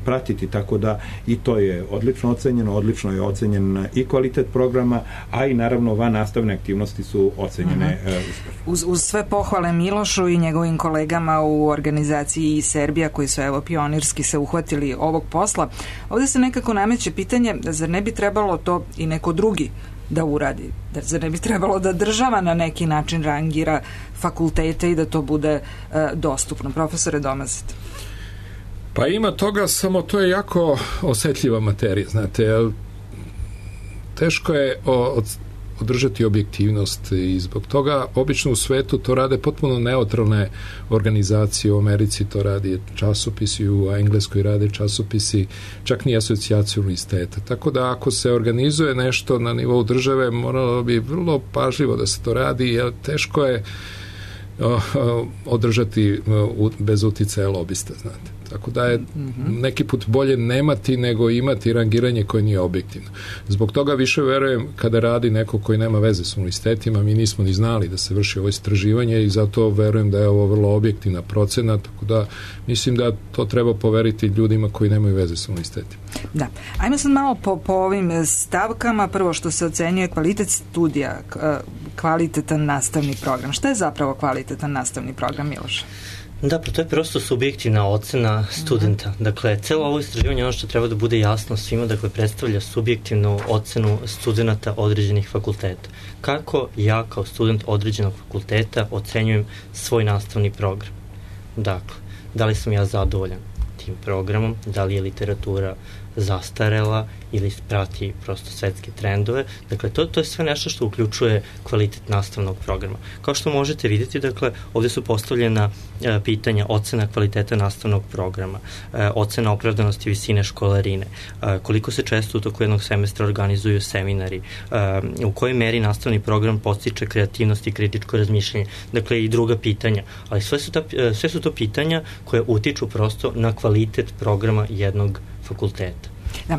pratiti, tako da i to je odlično ocenjeno, odlično je ocenjen i kvalitet programa, a i naravno van nastavne aktivnosti su ocenjene uh-huh. uspešno. Uz, uz sve pohvale Milošu i njegovim kolegama u organizaciji Serbija, koji su evo pionirski se uhvatili ovog posla, ovde se nekako nameće pitanje, zar ne bi trebalo to i neko drugi da uradi? Zar ne bi trebalo da država na neki način rangira fakultete i da to bude uh, dostupno? Profesore Domazet. Pa ima toga, samo to je jako osetljiva materija, znate, teško je od, održati objektivnost i zbog toga obično u svetu to rade potpuno neutralne organizacije. U Americi to radi časopisi, u Engleskoj rade časopisi, čak ni asocijacija univerziteta. Tako da ako se organizuje nešto na nivou države, moralo bi vrlo pažljivo da se to radi, jer teško je održati bez uticaja lobista, znate. Tako da je neki put bolje nemati nego imati rangiranje koje nije objektivno. Zbog toga više verujem kada radi neko koji nema veze s univerzitetima, mi nismo ni znali da se vrši ovo istraživanje i zato verujem da je ovo vrlo objektivna procena, tako da mislim da to treba poveriti ljudima koji nemaju veze s univerzitetima. Da. Ajmo sad malo po, po ovim stavkama. Prvo što se ocenjuje kvalitet studija, kvalitetan nastavni program. Šta je zapravo kvalitetan nastavni program, Miloš? Da, pa to je prosto subjektivna ocena studenta. Mm-hmm. Dakle, celo ovo istraživanje, ono što treba da bude jasno svima, dakle, predstavlja subjektivnu ocenu studenta određenih fakulteta. Kako ja kao student određenog fakulteta ocenjujem svoj nastavni program? Dakle, da li sam ja zadovoljan tim programom, da li je literatura zastarela ili prati prosto svetske trendove. Dakle, to, to je sve nešto što uključuje kvalitet nastavnog programa. Kao što možete vidjeti, dakle, ovdje su postavljena e, pitanja ocena kvaliteta nastavnog programa, e, ocena opravdanosti visine školarine, e, koliko se često u toku jednog semestra organizuju seminari, e, u kojoj meri nastavni program podstiče kreativnost i kritičko razmišljanje, dakle i druga pitanja. Ali sve su, ta, sve su to pitanja koje utiču prosto na kvalitet programa jednog fakulteta.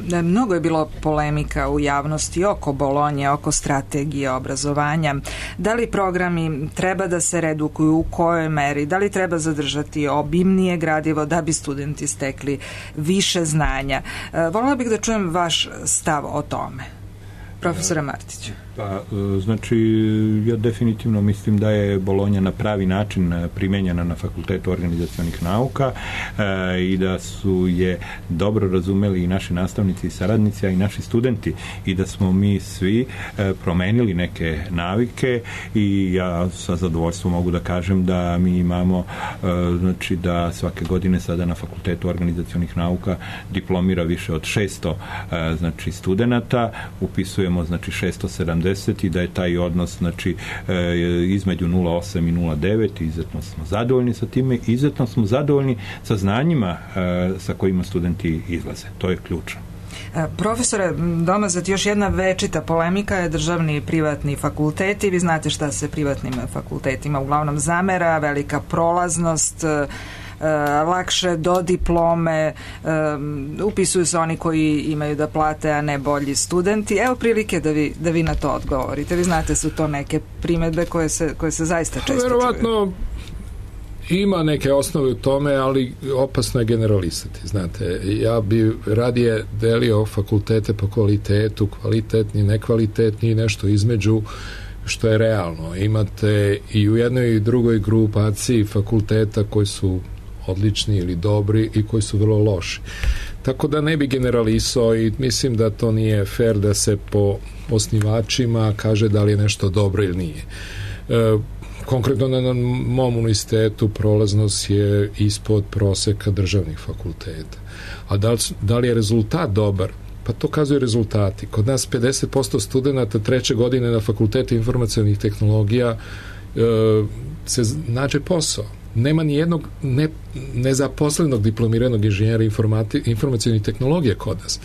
Da, mnogo je bilo polemika u javnosti oko Bolonje, oko strategije obrazovanja. Da li programi treba da se redukuju, u kojoj meri, da li treba zadržati obimnije gradivo da bi studenti stekli više znanja. Voljela bih da čujem vaš stav o tome. Profesora Martiću. Pa, znači, ja definitivno mislim da je Bolonja na pravi način primenjena na Fakultetu organizacionih nauka e, i da su je dobro razumeli i naši nastavnici i saradnici, a i naši studenti, i da smo mi svi e, promenili neke navike i ja sa zadovoljstvom mogu da kažem da mi imamo e, znači da svake godine sada na Fakultetu organizacionih nauka diplomira više od šesto e, znači studenata, upisujemo znači šesto sedamdeset i da je taj odnos znači e, između nula zarez osam i nula zarez devet. Izuzetno smo zadovoljni sa time, izuzetno smo zadovoljni sa znanjima e, sa kojima studenti izlaze. To je ključno. Profesore Domazet, još jedna večita polemika je državni i privatni fakulteti. Vi znate šta se privatnim fakultetima uglavnom zamera, velika prolaznost, lakše do diplome, um, upisuju se oni koji imaju da plate, a ne bolji studenti. Evo prilike da vi, da vi na to odgovorite. Vi znate, su to neke primedbe koje se, koje se zaista često čuju. Verovatno ima neke osnove u tome, ali opasno je generalisati. Znate, ja bi radije delio fakultete po kvalitetu, kvalitetni, nekvalitetni i nešto između, što je realno. Imate i u jednoj i drugoj grupaciji fakulteta koji su odlični ili dobri i koji su vrlo loši. Tako da ne bi generalisao i mislim da to nije fair da se po osnivačima kaže da li je nešto dobro ili nije. E, konkretno na mom univerzitetu prolaznost je ispod proseka državnih fakulteta. A da li, da li je rezultat dobar? Pa to kazuju rezultati. Kod nas pedeset posto studenta treće godine na fakultetu informacionih tehnologija e, se nađe posao. Nema ni jednog ne, nezaposlenog diplomiranog inženjera informacionih tehnologija kod nas.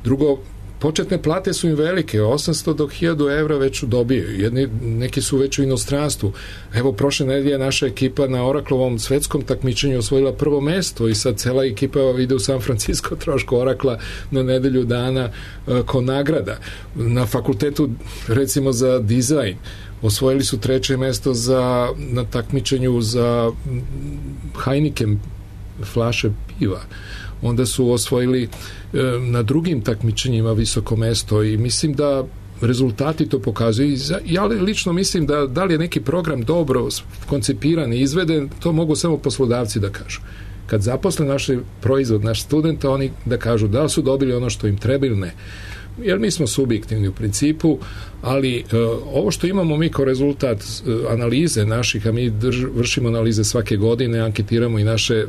Drugo, početne plate su im velike, osamsto do hiljadu evra već dobiju. Jedni, neki su već u inostranstvu. Evo, prošle nedelje naša ekipa na Oraclovom svetskom takmičenju osvojila prvo mesto i sad cela ekipa ide u San Francisco trošku Oracla na nedelju dana uh, ko nagrada. Na fakultetu, recimo za dizajn, osvojili su treće mesto za, na takmičenju za Heineken flaše piva. Onda su osvojili e, na drugim takmičenjima visoko mesto i mislim da rezultati to pokazuju. Ja lično mislim da da li je neki program dobro koncipiran i izveden, to mogu samo poslodavci da kažu. Kad zaposle naš proizvod, naš studenta, oni da kažu da li su dobili ono što im treba ili ne. Jer mi smo subjektivni u principu, ali e, ovo što imamo mi kao rezultat e, analize naših, a mi drž, vršimo analize svake godine, anketiramo i naše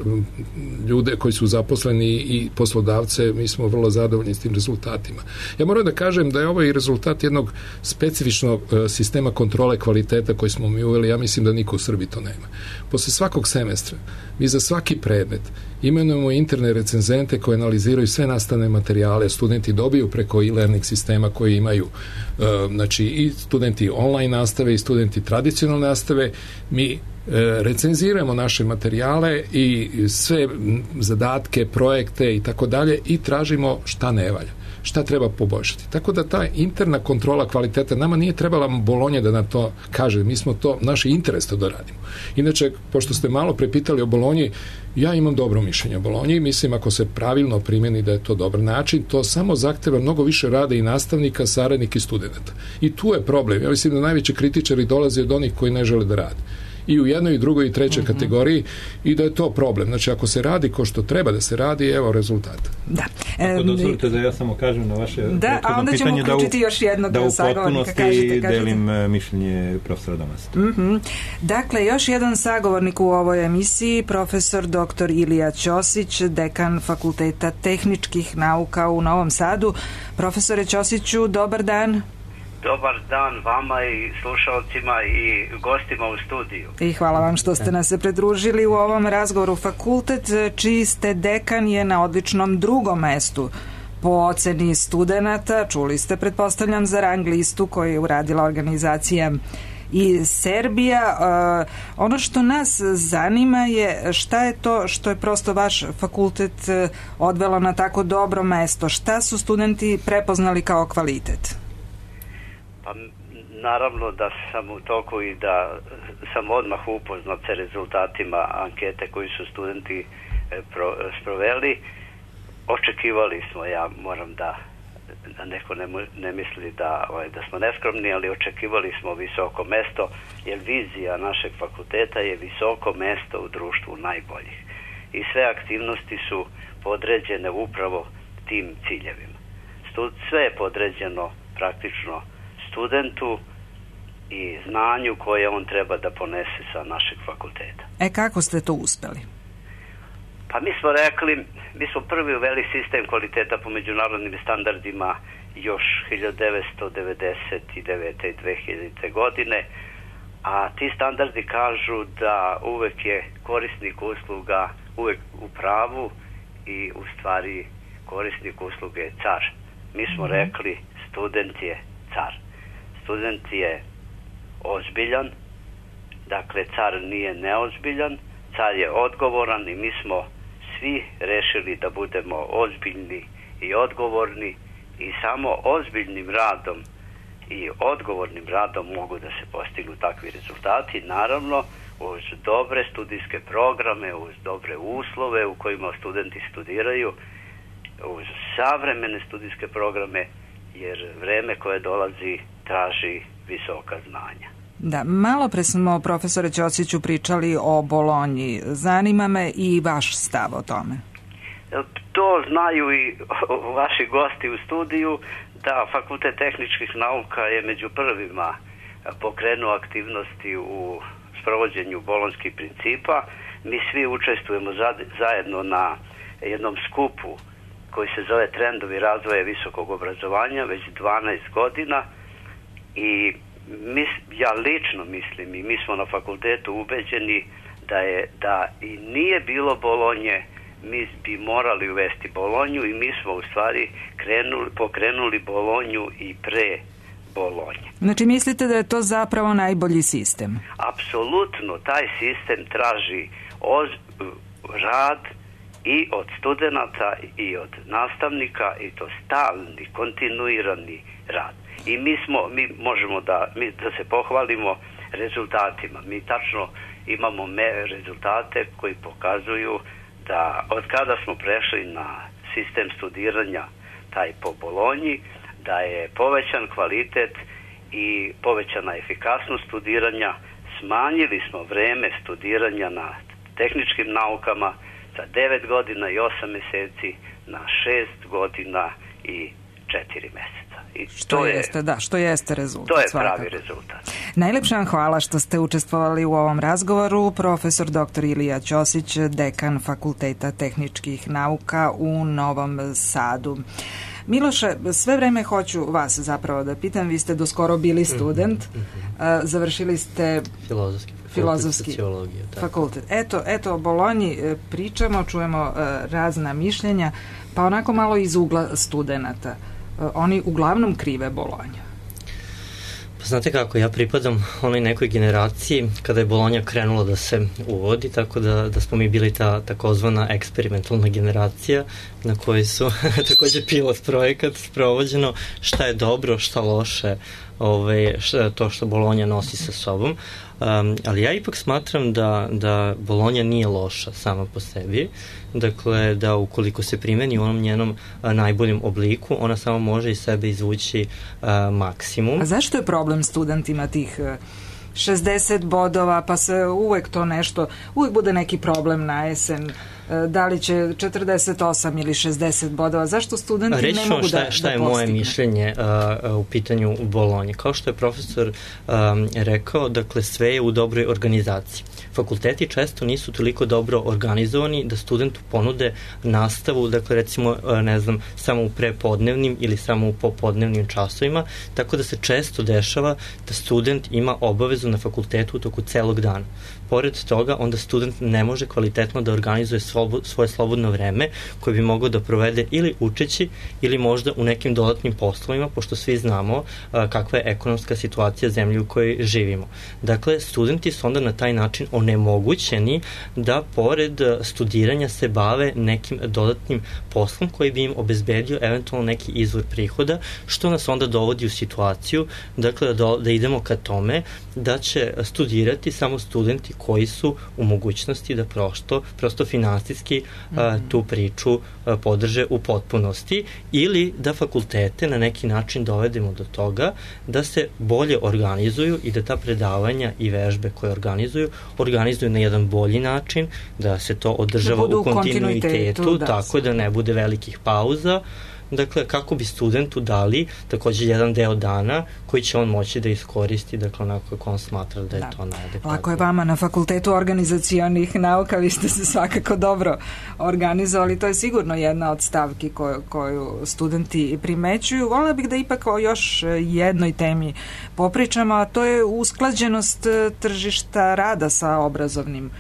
ljude koji su zaposleni i poslodavce, mi smo vrlo zadovoljni s tim rezultatima. Ja moram da kažem da je ovo i rezultat jednog specifičnog e, sistema kontrole kvaliteta koji smo mi uveli, ja mislim da niko u Srbiji to nema. Posle svakog semestra, mi za svaki predmet imenujemo interne recenzente koje analiziraju sve nastavne materijale, studenti dobiju preko e-learning sistema koji imaju e, znači i studenti online nastave i studenti tradicionalne nastave, mi e, recenziramo naše materijale i sve zadatke, projekte i tako dalje i tražimo šta ne valja, šta treba poboljšati. Tako da ta interna kontrola kvaliteta, nama nije trebala Bolonja da nam to kaže, mi smo to, naš interes to da radimo. Inače, pošto ste malo prepitali o Bolonji, ja imam dobro mišljenje o Bolonji, mislim ako se pravilno primjeni da je to dobar način, to samo zahteva mnogo više rada i nastavnika, saradnika i studenta. I tu je problem. Ja mislim da najveći kritičari dolaze od onih koji ne žele da rade. I u jednoj, i drugoj, i trećoj mm-hmm. kategoriji i da je to problem. Znači, ako se radi ko što treba da se radi, evo rezultata. Da. Ako dozvolite da ja samo kažem na vaše da, a onda ćemo uključiti još jednog da sagovornika. Da u potpunosti delim mišljenje profesora Domasta. Mm-hmm. Dakle, još jedan sagovornik u ovoj emisiji, profesor doktor Ilija Ćosić, dekan Fakulteta tehničkih nauka u Novom Sadu. Profesore Ćosiću, dobar dan. Dobar dan vama i slušalcima i gostima u studiju. I hvala vam što ste nas se pridružili u ovom razgovoru. Fakultet čiji ste dekan je na odličnom drugom mestu po oceni studenata. Čuli ste, pretpostavljam, za rang listu koju je uradila organizacija i Serbija. Uh, ono što nas zanima je šta je to što je prosto vaš fakultet odvelo na tako dobro mesto. Šta su studenti prepoznali kao kvalitet? Pa naravno da sam u toku i da sam odmah upoznat sa rezultatima ankete koji su studenti pro, sproveli. Očekivali smo, ja moram da, da neko ne, ne misli da, ovaj, da smo neskromni, ali očekivali smo visoko mesto, jer vizija našeg fakulteta je visoko mesto u društvu najboljih. I sve aktivnosti su podređene upravo tim ciljevima. Stud, sve je podređeno praktično studentu i znanju koje on treba da ponese sa našeg fakulteta. E, kako ste to uspeli? Pa mi smo rekli, mi smo prvi uveli sistem kvaliteta po međunarodnim standardima još hiljadu devetsto devedeset devete i dve hiljadite godine, a ti standardi kažu da uvek je korisnik usluga uvek u pravu i u stvari korisnik usluge je car. Mi smo mm-hmm. rekli, student je car. Student je ozbiljan, dakle car nije neozbiljan, car je odgovoran i mi smo svi rešili da budemo ozbiljni i odgovorni i samo ozbiljnim radom i odgovornim radom mogu da se postignu takvi rezultati, naravno uz dobre studijske programe, uz dobre uslove u kojima studenti studiraju, uz savremene studijske programe, jer vreme koje dolazi traži visoka znanja. Da, malo pre smo, profesore Ćosiću, pričali o Bolonji. Zanima me i vaš stav o tome. To znaju i vaši gosti u studiju, da Fakultet tehničkih nauka je među prvima pokrenuo aktivnosti u sprovođenju bolonjskih principa. Mi svi učestvujemo zajedno na jednom skupu koji se zove Trendovi razvoja visokog obrazovanja već dvanaest godina i mis, ja lično mislim i mi smo na fakultetu ubeđeni da je da i nije bilo Bolonje, mi bi morali uvesti Bolonju i mi smo u stvari krenuli, pokrenuli Bolonju i pre Bolonje. Znači mislite da je to zapravo najbolji sistem? Apsolutno, taj sistem traži oz, rad i od studenata i od nastavnika i to stalni, kontinuirani rad. I mi smo, mi možemo da, mi, da se pohvalimo rezultatima. Mi tačno imamo me, rezultate koji pokazuju da od kada smo prešli na sistem studiranja taj po Bolonji, da je povećan kvalitet i povećana efikasnost studiranja, smanjili smo vreme studiranja na tehničkim naukama sa devet godina i osam meseci na šest godina i četiri meseca. I što to jeste, je, da, što jeste rezultat. To je svakako pravi rezultat. Najlepša vam hvala što ste učestvovali u ovom razgovoru. Profesor doktor Ilija Ćosić, dekan Fakulteta tehničkih nauka u Novom Sadu. Miloše, sve vreme hoću vas zapravo da pitam, vi ste doskoro bili student, mm-hmm. završili ste filozofski, filozofski fakultet. Eto, eto, o Bolonji pričamo, čujemo razna mišljenja, pa onako malo iz ugla studenata. Oni uglavnom krive Bolonju. Pa znate kako, ja pripadam onoj nekoj generaciji kada je Bolonja krenula da se uvodi, tako da, da smo mi bili ta takozvana eksperimentalna generacija na kojoj su takođe pilot projekat sprovođeno šta je dobro, šta loše, ove, šta, to što Bolonja nosi sa sobom. Um, ali ja ipak smatram da, da Bolonja nije loša sama po sebi, dakle da ukoliko se primeni u onom njenom a, najboljem obliku, ona samo može iz sebe izvući a, maksimum. A zašto je problem studentima tih šezdeset bodova, pa se uvek to nešto, uvek bude neki problem na jesen, da li će četrdeset osam ili šezdeset bodova, zašto studenti Reći ne mogu šta, da, šta da je postigne? moje mišljenje uh, u pitanju Bolonje. Kao što je profesor um, rekao, dakle sve je u dobroj organizaciji. Fakulteti često nisu toliko dobro organizovani da studentu ponude nastavu, dakle recimo, ne znam, samo u prepodnevnim ili samo u popodnevnim časovima, tako da se često dešava da student ima obavezu na fakultetu u toku celog dana. Pored toga, onda student ne može kvalitetno da organizuje svoje slobodno vreme koje bi mogao da provede ili učeći ili možda u nekim dodatnim poslovima, pošto svi znamo a, kakva je ekonomska situacija zemlje u kojoj živimo. Dakle, studenti su onda na taj način onemogućeni da pored studiranja se bave nekim dodatnim poslom koji bi im obezbedio eventualno neki izvor prihoda, što nas onda dovodi u situaciju, dakle, da, da idemo ka tome da će studirati samo studenti koji su u mogućnosti da prosto, prosto finansijski mm-hmm. a, tu priču a, podrže u potpunosti, ili da fakultete na neki način dovedemo do toga da se bolje organizuju i da ta predavanja i vežbe koje organizuju, organizuju na jedan bolji način, da se to održava da u kontinuitetu, da, tako da ne bude velikih pauza. Dakle, kako bi studentu dali takođe jedan deo dana koji će on moći da iskoristi, dakle, onako kako on smatra da je da. to najadekvatnije. Lako je vama na Fakultetu organizacionih nauka, vi ste se svakako dobro organizovali, to je sigurno jedna od stavki koju, koju studenti primećuju. Volila bih da ipak o još jednoj temi popričamo, a to je usklađenost tržišta rada sa obrazovnim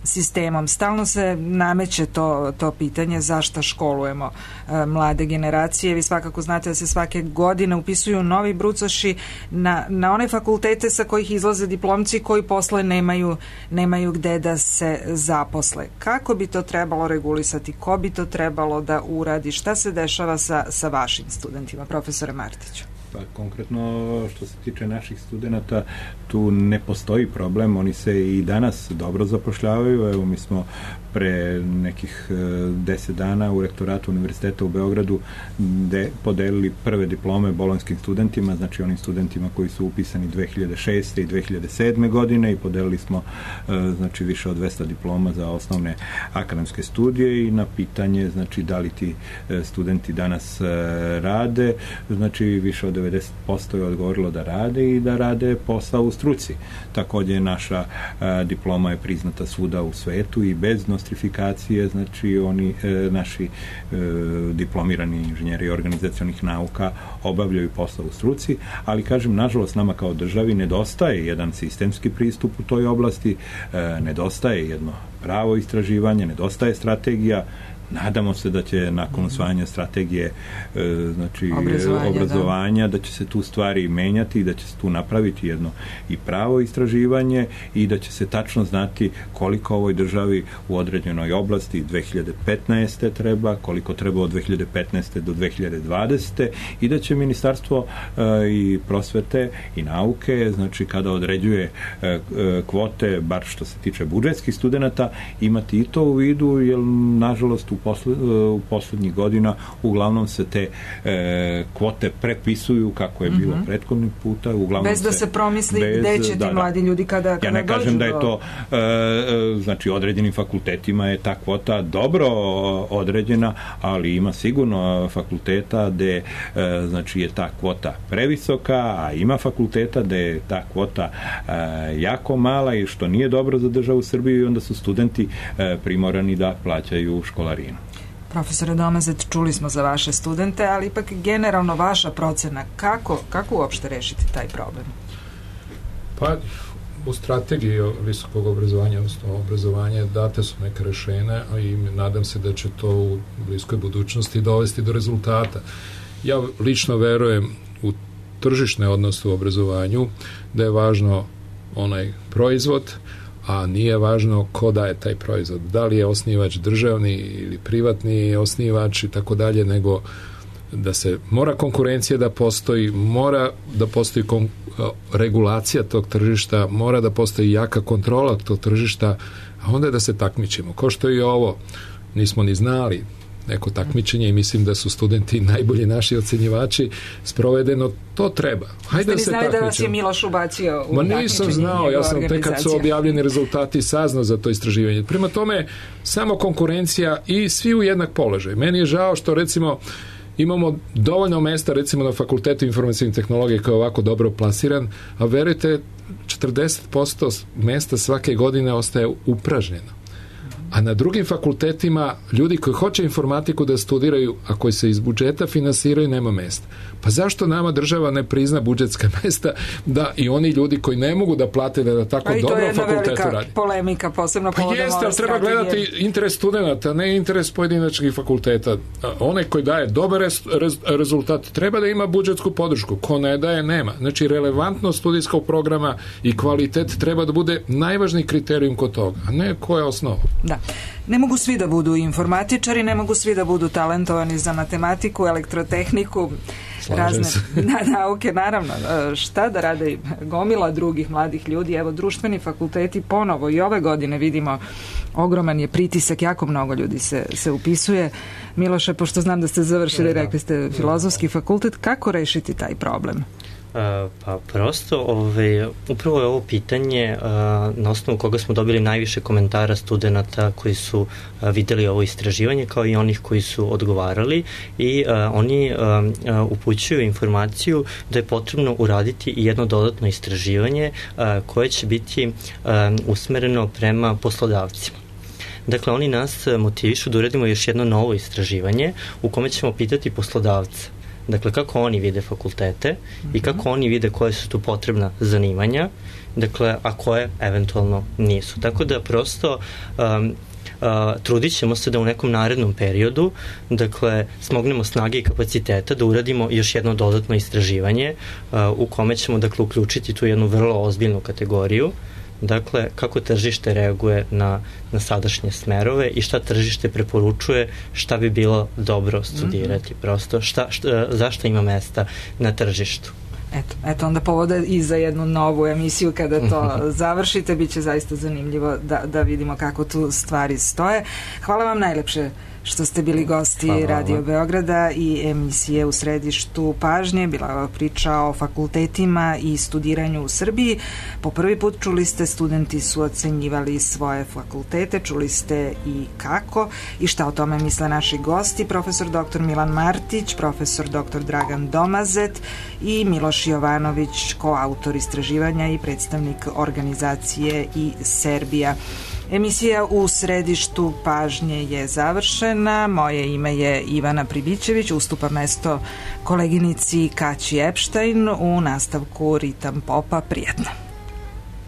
sistemom. Stalno se nameće to, to pitanje zašto školujemo e, mlade generacije. Vi svakako znate da se svake godine upisuju novi brucoši na, na one fakultete sa kojih izlaze diplomci koji posle nemaju, nemaju gde da se zaposle. Kako bi to trebalo regulisati? Ko bi to trebalo da uradi? Šta se dešava sa, sa vašim studentima, profesore Martiću? Pa konkretno što se tiče naših studenta, tu ne postoji problem, oni se i danas dobro zapošljavaju. Evo, mi smo pre nekih deset dana u rektoratu Univerziteta u Beogradu de, podelili prve diplome bolonjskim studentima, znači onim studentima koji su upisani dve hiljade šeste i dve hiljade sedme godine, i podelili smo znači više od dvesta diploma za osnovne akademske studije. I na pitanje znači da li ti studenti danas rade, znači više od devedeset posto je odgovorilo da rade i da rade posao u struci. Takođe naša a, diploma je priznata svuda u svetu i bez nostrifikacije, znači oni e, naši e, diplomirani inženjeri organizacionih nauka obavljaju posao u struci, ali kažem, nažalost nama kao državi nedostaje jedan sistemski pristup u toj oblasti, e, nedostaje jedno pravo istraživanje, nedostaje strategija. Nadamo se da će nakon usvajanja strategije e, znači obrazovanja, obrazovanja da. da će se tu stvari menjati i da će se tu napraviti jedno i pravo istraživanje i da će se tačno znati koliko ovoj državi u određenoj oblasti dve hiljade petnaeste treba, koliko treba od dve hiljade petnaeste do dve hiljade dvadesete i da će Ministarstvo e, i prosvete i nauke, znači kada određuje e, e, kvote, bar što se tiče budžetskih studenata, imati i to u vidu, jer nažalost u, posled, u poslednjih godina uglavnom se te e, kvote prepisuju kako je bilo mm-hmm. prethodnih puta. Uglavnom bez da se, se promisli bez, gde će ti da, mladi ljudi kada, kada ja ne kažem da je to e, znači određenim fakultetima je ta kvota dobro određena, ali ima sigurno fakulteta gde e, znači je ta kvota previsoka, a ima fakulteta gde je ta kvota e, jako mala i što nije dobro za državu Srbiju i onda su studenti e, primorani da plaćaju školarinu. Profesore Domazet, čuli smo za vaše studente, ali ipak generalno vaša procena, kako, kako uopšte rešiti taj problem? Pa, u strategiji visokog obrazovanja, odnosno obrazovanja, date su neke rešenja, a i nadam se da će to u bliskoj budućnosti dovesti do rezultata. Ja lično verujem u tržišne odnose u obrazovanju, da je važno onaj proizvod, a nije važno ko daje taj proizvod. Da li je osnivač državni ili privatni osnivač i tako dalje, nego da se mora konkurencija da postoji, mora da postoji kon, regulacija tog tržišta, mora da postoji jaka kontrola tog tržišta, a onda da se takmičimo. Ko što i ovo, nismo ni znali neko takmičenje i mislim da su studenti najbolji naši ocenjivači, sprovedeno, to treba. Hajde da se takmičimo. Ste li znali da vas je Miloš ubacio u takmičenje? Ma nisam znao, ja sam tek kad su objavljeni rezultati saznao za to istraživanje. Prema tome, samo konkurencija i svi u jednak položaj. Meni je žao što recimo imamo dovoljno mesta recimo na Fakultetu informacijne tehnologije koji je ovako dobro plasiran, a verujte, četrdeset posto mesta svake godine ostaje upražnjeno. A na drugim fakultetima ljudi koji hoće informatiku da studiraju, a koji se iz budžeta finansiraju, nema mesta. Pa zašto nama država ne prizna budžetska mesta da i oni ljudi koji ne mogu da plate da na tako dobrom fakultetu radi? To je jedna velika polemika, posebno povodom ove strategije. Pa jeste, ali treba gledati interes studenta, ne interes pojedinačnih fakulteta. Onaj koji daje dobar rez, rez, rezultat treba da ima budžetsku podršku. Ko ne daje, nema. Znači, relevantnost studijskog programa i kvalitet treba da bude najvažniji kriterijum kod toga, a ne ko je osnova. Da. Ne mogu svi da budu informatičari, ne mogu svi da budu talentovani za matematiku, elektrotehniku, slažem razne na, nauke, naravno. Šta da rade gomila drugih mladih ljudi? Evo, društveni fakulteti ponovo i ove godine vidimo ogroman je pritisak, jako mnogo ljudi se, se upisuje. Miloše, pošto znam da ste završili, rekli ste filozofski fakultet, kako rešiti taj problem? Uh, pa prosto, ove, upravo je ovo pitanje uh, na osnovu koga smo dobili najviše komentara studenta koji su uh, videli ovo istraživanje, kao i onih koji su odgovarali, i uh, oni uh, uh, upućuju informaciju da je potrebno uraditi i jedno dodatno istraživanje uh, koje će biti uh, usmereno prema poslodavcima. Dakle, oni nas motivišu da uradimo još jedno novo istraživanje u kome ćemo pitati poslodavca, dakle, kako oni vide fakultete mm-hmm. i kako oni vide koje su tu potrebna zanimanja, dakle, a koje eventualno nisu. Tako da prosto um, uh, trudit ćemo se da u nekom narednom periodu, dakle, smognemo snage i kapaciteta da uradimo još jedno dodatno istraživanje uh, u kome ćemo, dakle, uključiti tu jednu vrlo ozbiljnu kategoriju, dakle, kako tržište reaguje na, na sadašnje smerove i šta tržište preporučuje, šta bi bilo dobro studirati, mm-hmm. prosto, šta, šta, zašto ima mesta na tržištu. Eto, eto onda povoda i za jednu novu emisiju kada to završite, bit će zaista zanimljivo da, da vidimo kako tu stvari stoje. Hvala vam najlepše što ste bili gosti Hvala. Radio Beograda i emisije U središtu pažnje. Bila je ova priča o fakultetima i studiranju u Srbiji. Po prvi put čuli ste, studenti su ocenjivali svoje fakultete, čuli ste i kako i šta o tome misle naši gosti, profesor doktor Milan Martić, profesor doktor Dragan Domazet i Miloš Jovanović, koautor istraživanja i predstavnik organizacije i Serbija. Emisija U središtu pažnje je završena. Moje ime je Ivana Pribićević, ustupa mesto koleginici Kaći Epštajn u nastavku Ritam popa. Prijatno.